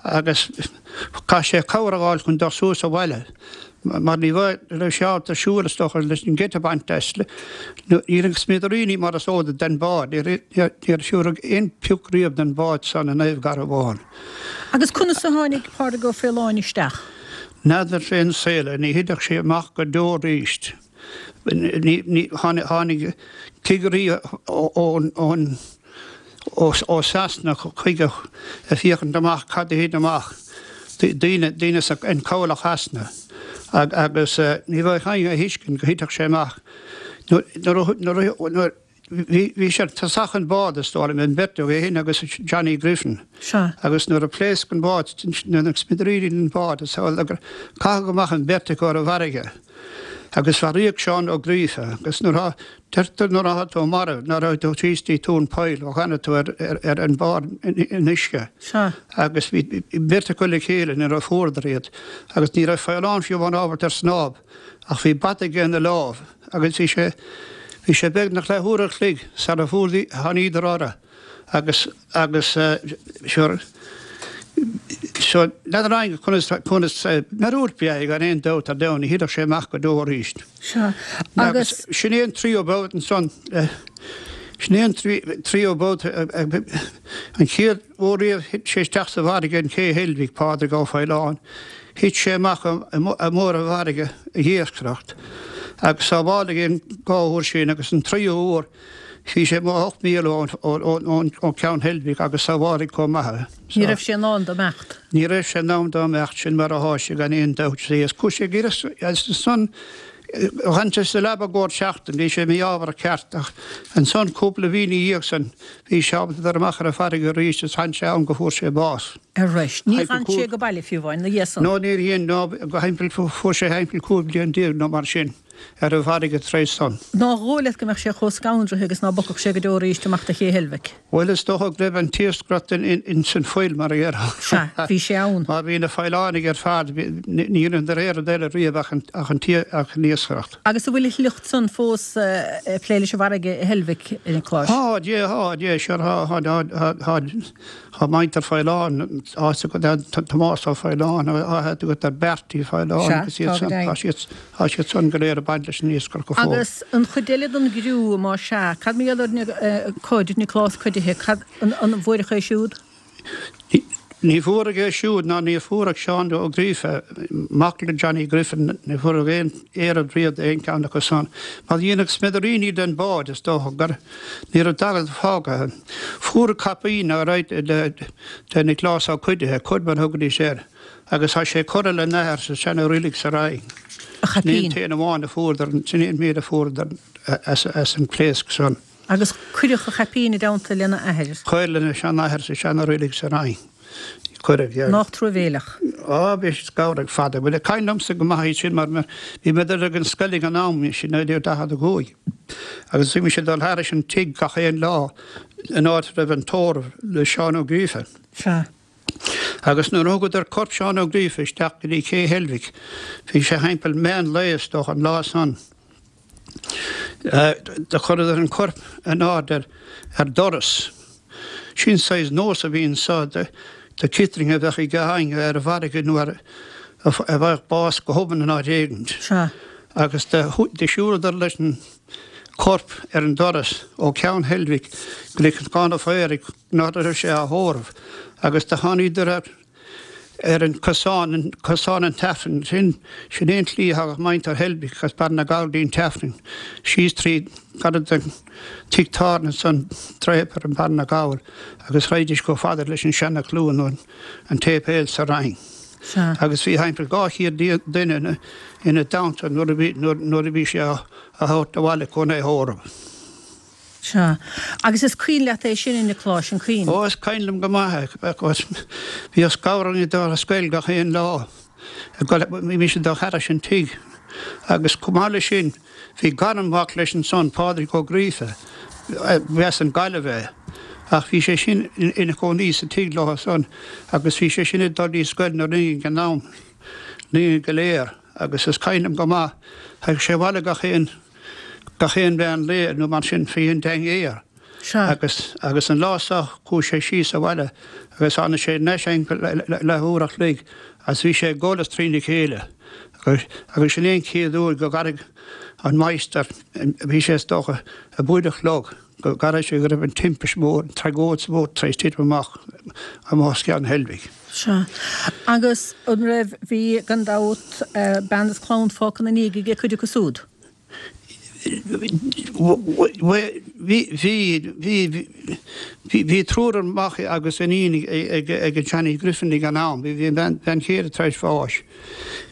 agus chaith sé cabhair a fháil chun dul suas abhaile mar ní raibh sé ábalta siúl is dócha leis an geit a bhaint as. Ní raibh smidiríní mar is eol duit den bhád, níor fuaireadh aon phioc riamh den bhád san i Naomh Garbhán. Agus conas a tháinig Pádraig Ó Faoláin isteach? N'fheadar fén saol é, ní thitfeadh sé amach go deo arís. Tháinig cigirí ó Sasana chuige ag féachaint amach cad a thit amach, daoine daoine in cabhlach Shasana, agus ní bheadh éinne a thuiscint go thitfeadh sé amach. Nuair Bhí sé ar tosach an bád, is dóigh liom, an bheirt acu, é féin agus Johnny Griffin. Sea. Agus nuair a phléasc an bád, na smidiríní den bhád, is amhlaidh gur caitheadh amach an bheirt acu ar an bhfarraige. Agus mharaíodh Seán Ó Gríofa. Agus nuair atá, deirtear nuair atá tú marbh, nuair atá tú thíos dtí tóin poill, ó tháinig tú ar, ar, ar an bharr in uisce. Sea. Agus bhí beirt acu le chéile nuair a fuaireadar iad. Agus ní raibh Faolán fiú amháin ábalta ar snámh. Ach bhí bata aige ina lámh agus bhí sé, bhí sé beagnach leath uair a chloig sara fuair, tháiníodar orthu agus, agus sure, so n'fheadar éinne conas, conas, míorúilt ab ea é gan aon dabht ar domhan, ní thitfeadh sé amach go deo arís. Sea, Agus agus. sin é an tríú babhta ansan, sin é an tríú babhta, an chéad uair riamh thit sé isteach sa bhfarraige in Cé Heilbhic, Pádraig Ó Faoláin, Thit sé amach i mbarr an bhfarraige ag iascaireacht agus sábháladh é an dhá uair sin agus an tríú huair bhí sé amuigh ocht míle ón Ceann Heilbhic agus sábháladh chomh maith é. Ní raibh sé in ann dá imeacht. Ní raibh sé in ann dá imeacht, sin mar athá sé gan aon dabht. Is chuaigh sé ag iarraidh agus ansan D'fhan sé sa leaba i gcomhair seachtain, bhí sé mí-ámharach ceart, ach ansan cúpla mhí 'na dhiaidh san bhí sé ábalta dul amach ar an bhfarraige arís is d'fhan sé ann go fuair sé bás. Arís. Ní dhean sé go baile fiú amháin 'na dhiaidh san. No níor dhein, no, go thimpeall, fuair sé thimpeall cúig bliain déag nó mar sin. ar an bhfarraige tar éis san. Nár dhóigh leat go mbeadh sé chomh scanraithe agus ná bogfadh sé go deo arís amach de Ché Heilbhic? Bhuel, is dócha go raibh an t-iascaireacht ins an fuil, mar a déarfá. Sea, bhí sé ann. Mar bhí na Faolánaigh ar fad, ní dheineadar aon rud eile riamh ach an iascaireacht. Agus an bhfuil a shliocht san fós ag plé leis an bhfarraige i Heilbhic, a Niocláis? Tá, yeah, tá, yeah, sure, tá, tá, tá, tá muintir Faoláin, tá Tomás Ó Faoláin, tá agat ar Bertie Faoláin agus iad san, tá siad, tá siad san go léir ag baint leis an iascaireacht go fóill. Agus an chuid eile den gcriú, más ea, cad mar gheall ar Cuid, Nioclás Cuidithe, cad, an, an bhfuaireadh é siúd? Ní fuaireadh é siúd ná ní fuaireadh Seán Ó Gríofa, mac le Johnny Griffin, ní fuaireadh aon oiread riamh d'aon cheann acu san. Mar dhéanadh smidiríní den bhád, is dócha gur, ní raibh dada fágtha. Fuaireadh caipín alright de Nioclás Ó Cuidithe, Cuid mar a thugaidís air, agus tá sé curtha lena athair sa seana-reilig sa Rinn. A chaipín. Sin é an t-aon amháin a fuaireadar, sin é an méid a fuaireadar as an phléasc san. Agus cuireadh a chaipín i dteannta lena athair. Cuireadh lena seanathair sa seana-reilig sa Rinn. Cuireadh, yeah. Nách truamhéileach. Á, bhí sé scanrach fada. Bhuel, cuimhin liomsa go maith é sin mar bhí mé ag dul ag an scoil ag an am, sin naoi déag daichead a cúig. Agus bhí mise ag dul thairis an tigh gach aon lá an áit a raibh an tórramh le Seán Ó Gríofa. Sea. Agus nuair a thugadar corp Seán Ó Gríofa isteach go dtí Cé Heilbhic, bhí sé thimpeall meán lae is dócha an lá san. Do chuireadar an corp in airde ar doras. Sin saghas nós a bhí anso do citring a bheadh ag éinne ar an bhfarraige nó a bhfaigheadh bás go hobann in áit éigint. Agus do shiúladar leis an corp ar an doras ó Cheann Heilbhic go dtí Cnocán an Phaoraigh, an áit a raibh sé á thórramh, agus do tháiníodar ar ar an cosán, cosán an tAifrinn, sin, sin é an tslí a thagadh muintir Heilbhic as Barra na nGall go dtí an tAifreann, síos trí, gairid don tigh tábhairne ansan, Draper i mBarra na nGall, agus raghaidís chomh fada leis an Seana Chluain nó an tséipéal sa Rinn. Sea. Agus bhí thimpeall dhá chéad duine ina, ina dteannta nuair a bhí, nuair, nuair a bhí sé á, á thabhairt abhaile chun é thórramh. Sea. Agus is cuimhin leat é sin, a Niocláis, an cuimhin? Ó, is cuimhin liom go maith é. Bhíodh scamhar orainn ag dul ar scoil gach aon lá. Bhí mise ag dul thairis an tigh. Agus chomh maith leis sin, bhí garmhac leis ansan, Pádraig Ó Gríofa, ba as an Ghaillimh é. Ach bhí sé sin ina chónaí sa tigh leo san agus bhí sé sin ag dul dtí scoil na Rinne ag an am, linn go léir. Agus is cuimhin liom go maith, thagadh sé abhaile gach aon. gach aon mheán lae nó mar sin faoi an dinnéar. Sea. Agus, agus an lá so chuaigh sé síos abhaile agus tháinig sé anois thimpeall leath uair a chloig agus bhí sé ag gol as trína chéile. Agus, agus sin é an chéad uair go gcaithfidh an máistir, bhí sé is dócha a buaid a chlog, go gcaithfidh sé go raibh an timpist mhór, an tragóid mhór tar éis titim amach amuigh os Ceann Heilbhic. Sea. Agus an raibh, bhí, gan dabht, bean is clann fágtha ina ndiaidh aige cuid acu súd? Bhí, bhí, bhí, bhí triúr mac agus iníon ag, ag Johnny Griffin ag an am. Bhí an bhean chéile tar éis bháis.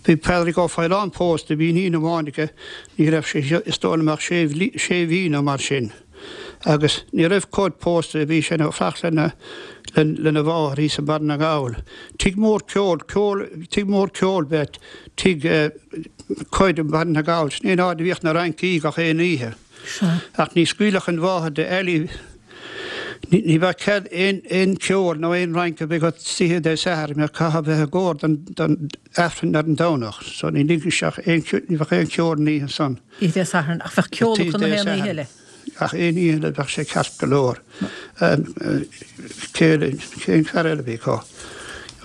Bhí Pádraig Ó Faoláin pósta, bhí iníon amháin aige, ní raibh sé, is dóigh liom ach sé, sé mhí nó mar sin. Agus ní raibh Cuid pósta, bhí sé ag fanacht lena, lena mháthair thíos i mBarra na nGall. Tigh mór ceoil, ceoil, tigh mór ceoil ab ea tigh Cuid i mBarra na nGall. Sin é an áit a bhíodh na rincí gach aon oíche. Ach ní scaoilfeadh an mháthair de Ellie, ní, ní bheadh cead aon, aon cheol nó aon rince a bheith agat oíche Dé Sathairn, mar caithfeá bheith i gcóir don, don Aifreann ar an Domhnach. So ní ligfeadh sé aon, ní bheadh aon cheol an oíche san. Oíche Dé Sathairn, ach bheadh ceol acu na haon oíche eile. Gach aon oíche eile bheadh sé ceart go leor. Cén fear eile a bhí acu?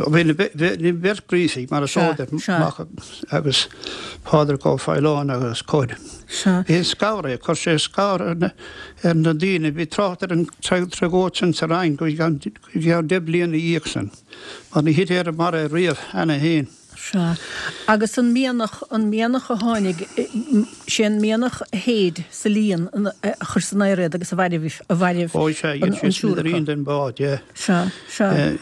Bhí na beirt Ghríofaigh, mar is eol duit, mac agus Pádraig Ó Faoláin agus Cuid. Bhí an scanradh, chuir sé scanradh ar na daoine. Bhí trácht ar an tragóid sin sa Rinn go ceann deich bliana ina dhiaidh sin, mar ní thit air mar é riamh cheana féin. Sea. Agus an mianach, an mianach a tháinig, sé an mianach a shéid sa líon a chuir san aer iad agus a mhairbh, a mhairbh Ó sea, an dhein sé triúr acu. smidirín den bhád, yeah. Sea, sea.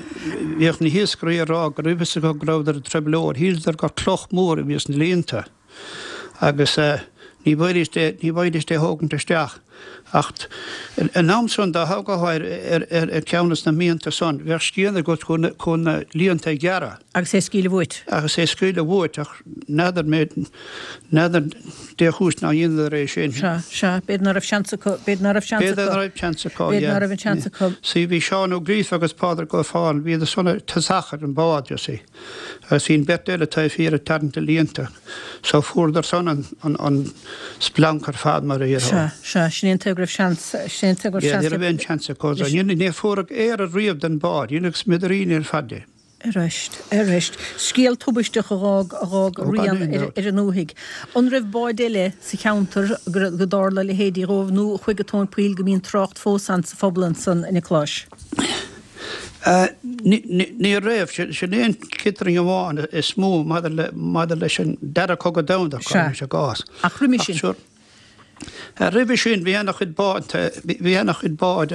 Bhíodh na hiascairí ag rá go raibh fhios acu go rabhadar i dtrioblóid, shíleadar gur cloch mhór a bhí sna líonta agus ní bhfaighidís é, ní bhfaighidís é thógaint isteach. Ach an am san dá thógfá ar ar ceann des na mianta san, bheadh scian agat chun chun na líonta a ghearradh. Agus é a scaoileadh uait. Agus é a scaoileadh uait, ach n'fheadar mé, n'fheadar dé chúis nár dheineadar é sin. Sea, sea, b'fhéidir ná raibh seans acu, b'fhéidir ná raibh seans acu. B'fhéidir ná raibh seans acu, yeah. B'fhéidir ná raibh an seans acu. See, bhí Seán Ó Gríofa agus Pádraig Ó Fáil, bhíodar san ag tosach ar an bád, you see. Agus bhí an bheirt eile taobh thiar ag tarraingt na líonta. So fuaireadar san an, an, an splanc ar fad mar a déarfá. Sea, sea, sin é an tuige go raibh seans, sin é an tuige go raibh Yeah, seans ní raibh aon seans acu. So ní, ní fuaireadh aoradh riamh den bád, dheineadh smidiríní ar fad de. Arist, arist. Scéal tubaisteach a dh'fhág, a dh'fhág Ó, gan rian aon ar, dabht. ar an ndúthaigh. An raibh báid eile sa cheantar go raibh, go dtarla a leithéidí dhóibh nó a chuaigh go tóin poill go mbíonn trácht fós ann sa phobal ansan, a Niocláis? Ní raibh. Sin é an chitrang amháin is mó maidir leis an Dara Cogadh Domhanda, cuirimis i gcás. Ach roimhe sin? Roimhe sin bhí ana-chuid bád, bhí ana-chuid bád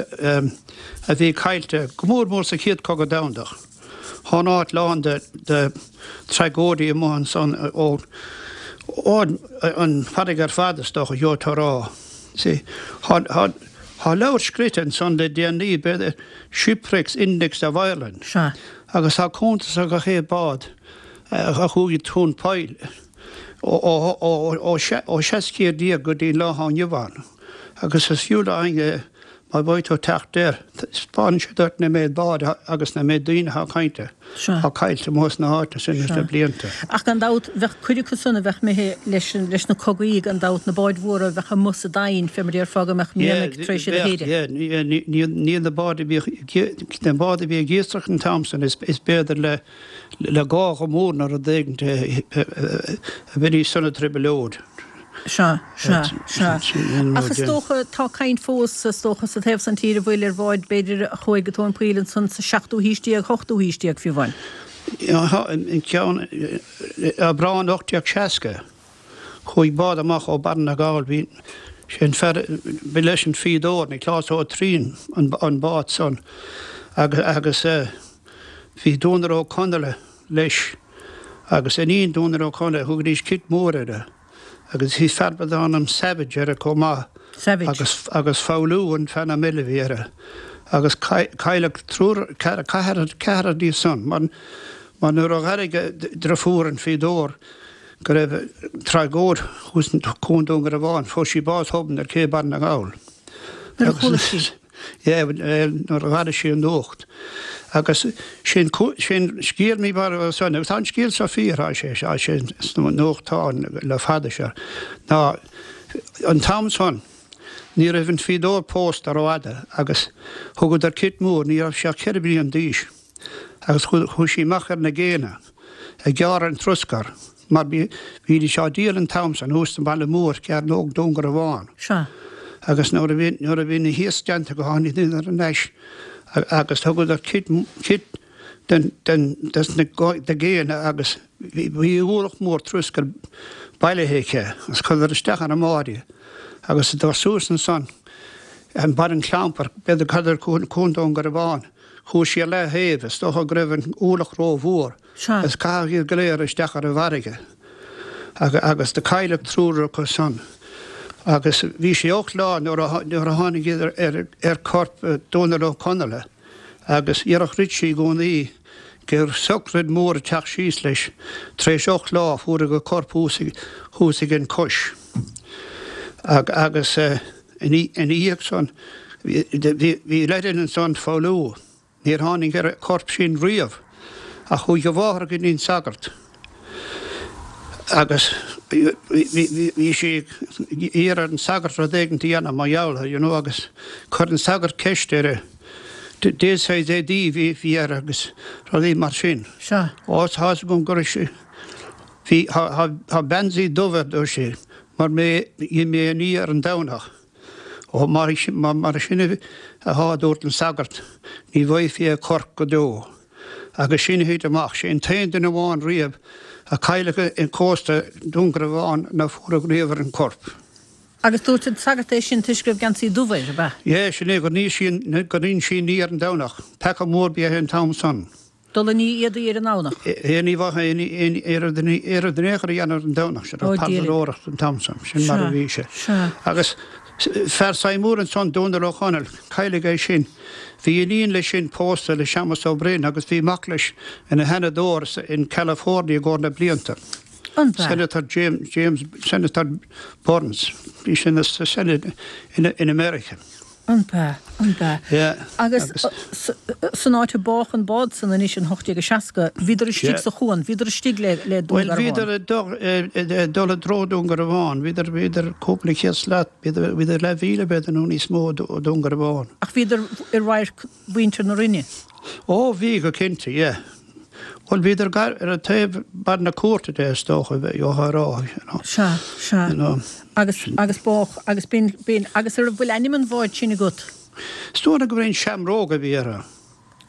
a bhí caillte, go mór mór sa Chéad Cogadh Domhanda. Thá an áit lán de tragóidí amuigh ansan ó an farraige ar fad is dócha, gheobhaidh tú a rá. See, thá Tá leabhar scríte ansan le déanaí, b'fhéidir, Shipwrecks Index of Ireland, Sea. agus tá cuntas ar gach aon bád a chuaigh tóin poill ó seacht gcéad déag go dtí an lá atá inniu ann. Agus is fiú le éinne má bheidh tú ag teacht air, taispeánann sé duit na méid bád agus na méid daoine atá caillte, Sea. atá caillte amuigh sna háiteanna sin leis na Sea. blianta. Ach gan dabht, bheadh cuid acu san a bheadh imithe leis, leis na cogaí, gan dabht, na báid mhóra a bheadh amuigh sa dtainn, fé mar a déarfá, go mbeadh Yeah, mianaigh tar éis iad a bheadh, shéideadh. yeah, ní, ní, ní, ní na báid a bhíodh, na báid a bhí ag iascaireacht an t-am san, is, is b'fhéidir le, le gága mór nó rud éigin a bheidís sona trioblóid. Sea, sea, sea. Ach is dócha, tá caint fós, is dócha, sa taobh san tíre a bhfuil ar bháid, b'fhéidir, a chuaigh go tóin poill ansan sa seachtú haois déag, ochtú haois déag fiú amháin. Tá an ceann, Aibreán ocht déag seasca, chuaigh bád amach ó Barra na nGall, bhí sé an fear, ba leis an fíodóir, Nioclás Ó Triain, an bád san agus bhí Dónal Ó Conaola leis agus iníon Dónal Ó Conaola, thugaidís Cit Mór uirthi. Agus bhí fear darbh ainm Savage air chomh maith. Savage. Agus, agus Foghlú an t-ainm eile a bhí air. Agus cailleadh triúr, ceathrar, ceathrar díobh san. Mar, mar nuair a dh'airigh a driofúr an fíodóir go raibh tragóid thuas i gCuan Dún Garbhán, fuair sí bás thobann ar ché Barra na nGall. Nuair a chuala sí. Yeah, nuair a dh'airigh sí an nuacht. Agus sin, sin scéal mí mar san, agus tá an scéal seo fíor, tá sé, tá sé sna nuachtáin le fada seo, ná an t-am san, ní raibh an fíodóir pósta rófhada agus thugadar Cit Mór, ní raibh sé ach ceithre bliana d'aois, agus chuaigh sí amach ar na gcéanna ag gearradh an troscair. Mar bhídís á díol an t-am san thuas sa mbaile mór, Cearnóg Dún Garbhán. Sea. Agus nuair a bhí, nuair a bhí na hiasc déanta acu tháinig thar n-ais agus thugadar cit, cit den, den, des na géanna agus bhí, bhí ualach mór troscair bailithe aici agus chuireadar isteach ar an mbád í agus ag dul suas ansan an barr an chlampair, b'fhéidir thar Cuan Dún Garbhán, chuaigh sí ar leath-thaobh, is dócha go raibh an ualach ró-mhór. Sea. Agus caitheadh iad go léir isteach ar an bhfarraige agus do cailleadh triúr acu san. Agus bhí sé ocht lá nuair a nuair a tháinig iad ar ar corp Dónal Ó Conaola agus dhéarfadh Richie i gcónaí gur sochraid mhór ag teacht síos leis. Tar éis ocht lá fuaradh a corp thuas thuas ag an cois. Agus ina dhiaidh san bhí bhí leid ansan Foghlú. Níor tháinig ar a corp sin riamh, ach chuaigh a mháthair go dtí an sagart agus bhí sí ag iarraidh ar an sagart rud éigin a dhéanamh mar gheall air, you know, agus chuir an sagart ceist uirthi, dén saghas éadaí a bhí air agus rudaí mar sin. Sea. Ó, tá fhios agam go raibh sé, bhí, tá geansaí dubh air, dúirt sí, mar mé, dhein mé a ní ar an Domhnach. Ó, mar sin athá, a dúirt an sagart, ní bhfaighfí a chorp go deo. Agus sin a thit amach. Sé an t-aon duine amháin riamh a cailleadh i gcósta Dún Garbhán ná fuaradh riamh ar an corp. Agus dúirt an sagart é sin toisc go raibh geansaí dubh air, ab ea? Yeah, sin é, gur nigh sí, gur dhein sí an ní ar an Domhnach. Peaca mór ab ea é an t-am san. Dul ag ní éadaí ar an nDomhnach. É ní bheadh aon iarraidh in aon chor a dhéanamh ar an Domhnach, sin Ó, raibh Dia linn. parlóireacht an t-am san, sin mar a Sea, bhí sé. sea. Agus Fear Seymour ansan, Dónal Ó Conaill, cailleadh é sin. Bhí iníon leis sin pósta le Séamus Ó Broin agus bhí mac leis ina sheanadóir in California i gcomhair na blianta. An b'ea? Senator James, James, Senator Burns. Bhí sé ina sa Senate in, in America. An b'ea? An b'ea? Yeah. Agus san áit a bádh an bád san anois in ocht déag a seasca, bhíodar istigh sa chuan, bhíodar istigh le le Dún Bhuel, Garbhán. bhíodar ag dul ag dul i dtreo Dún Garbhán, bhíodar, bhíodar cúpla céad slat, bhíodar, bhíodar leathmhíle b'fhéidir nó níos mó ó Dún Garbhán. Ach bhíodar i radharc mhuintir na Rinne. Ó, bhí, go cinnte, yeah. Bhuel, bhíodar gar ar an taobh barr na cúirte de, is dócha, bheifeá a rá, you know. Sea, sea. You know. Agus, agus bádh, agus b'in, b'in, agus an bhfuil ainm an bháid sin agat? Is dóigh liom gur an Seamróg a bhí uirthi.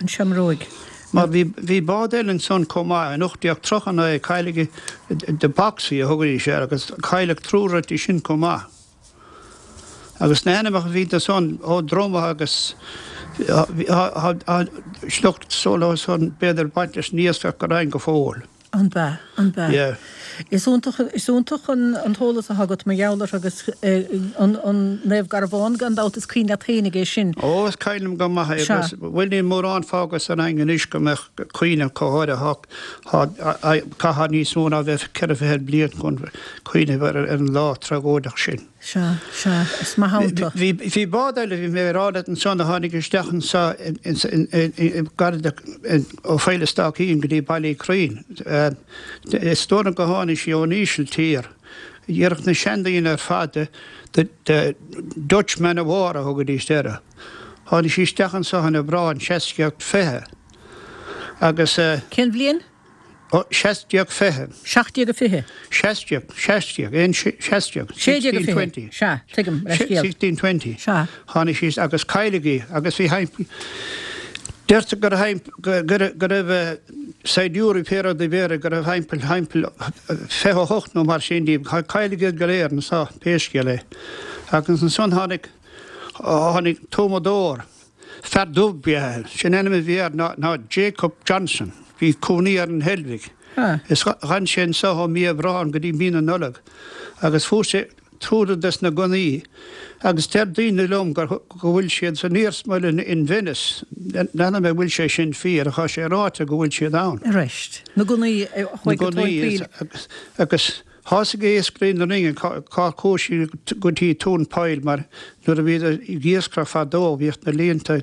An Seamróig. Mar bhí, bhí bád eile ansan chomh maith, in ocht déag tríocha naoi, cailleadh The Boxy a thugaidís air, agus cailleadh triúr uirthi sin chomh maith. Agus na hainmneacha a bhí ansan, Ó Droma agus tá sliocht solo san b'fhéidir baint leis an iascach go deimhin go fóill. An b'ea? An b'ea? Yeah. Is iontach, is iontach an an t-eolas atá agat mar gheall air agus an an Naomh Garbhán gan dabht is cuimhin leat fhéinig é sin. Ó is cuimhin liom go maith é Sea. agus bhuel níl mórán fágtha sa Rinn anois go mbeadh cuimhne acu áirithe thá caithfidh níos mó ná bheith ceithre fichead bliain chun cuimhneamh ar an lá tragóideach sin. Sea, sea, is maith ann tú. Bhí, bhí bád eile, bhí mé ag rá leat ansan, a tháinig isteach anso gar do, ó Phoill a' Staicín go dtí Baile Uí Churraoin. Is dóigh liom go tháinig sí ón Ísiltír. Déarfadh na seandaoine ar fad the, the Dutch Man of War a thugaidís uirthi. Tháinig sí isteach anso in Aibreán seacht déag fiche agus. Cén bhliain? Ó, seacht déag fiche. Seacht déag a fiche. Seacht déag, seacht déag, aon seacht déag. Sé déag a Sixteen fiche. twenty. Sea, tuigim, leithscéal. Sixteen twenty. Sea. Tháinig sí agus cailleadh í agus bhí thimpeall, deirtear go raibh go, go, go raibh saighdiúirí pé rud a bhí air, go raibh thimpeall, thimpeall fiche a hocht nó mar sin díobh. Cailleadh iad go léir anso, pé scéal é. Agus ansan tháinig, tháinig tuamadóir. Fear dubh ba ea é. Sin ainm a bhí air ná ná Jacob Johnson. Bhí cónaí air in Heilbhic. Is dh'fhan sé anso ó mí Aibreáin go dtí mí na Nollag agus fuair sé triúr des na gunnaí agus deir daoine liom gur go bhfuil siad san iarsmalann in Venice. N'fheadar an bhfuil sé sin fíor ach tá sé ráite go bhfuil siad ann. Arís, na gunnaí a Na chuaigh go tóin gunnaí poill. agus agus Thosaigh iascairí na Rinne cár chuaigh siad go dtí Tóin Poill mar nuair a bhíodar ag iascaireacht fadó bhíodh na líonta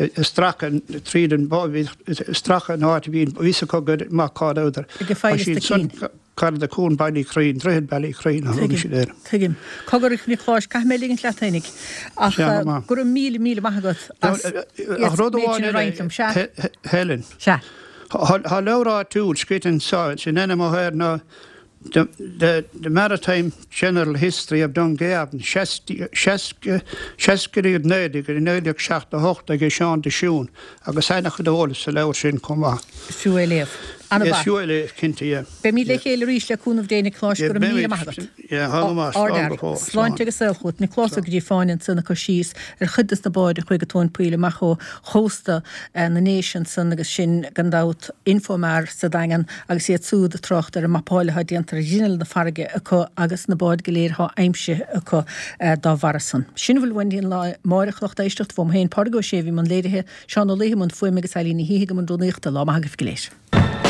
ag stracadh tríd an bhíodh ag stracadh an áit a bhí a fhios acu go maith cá rabhadar. Ag Faill Tá siad Staicín. san gar do Cuan Baile Uí Churraoin, Droichead Baile Uí Churraoin a thugann Tuigim, siad air. tuigim. Cogar a Niocláis, caithfidh mé ligint leat fhéinig ach Sea, go maith. go raibh míle míle maith agat as Ach rud méid amháin sin a eile, roinnt liom. Sea. Helen. Sea. Tá leabhar áitiúil scríte anso, sin ainm atá air ná The, the, the Maritime General History of Dungarvan, seasca naoi go naoi déag seachtó a hocht ag Seán de Siún, agus ana-chuid eolais sa leabhar sin chomh maith. Is fiú é léamh. Ana Is mhaith. fiú é léamh, cinnte, yeah. Beimid le chéile arís le cúnamh Dé, Nioclás, go raibh míle maith agat. Yeah, thá go maith, slán go fóill. Sláinte agus saol chugat. Nioclás Ó Gríofáin ansan ag cur síos ar chuid des na báid a chuaigh go tóin poill amach ó chósta na nDéise ansan agus sin gan dabht Infomar sa Daingean agus iad súd ag trácht ar an mapáil atá déanta ar ghrinneall na farraige acu agus na báid go léir atá aimsithe acu dá bharra san. Sin a bhfuil uainn don lá amáireach, lucht éisteachta, uaim féin Pádraig Ó Sé a bhí i mbun léirithe, Seán Ó Laoithe i mbun fuaime agus Eilín Ní Shíthigh i mbun rúnaíochta. Lá maith agaibh go léir.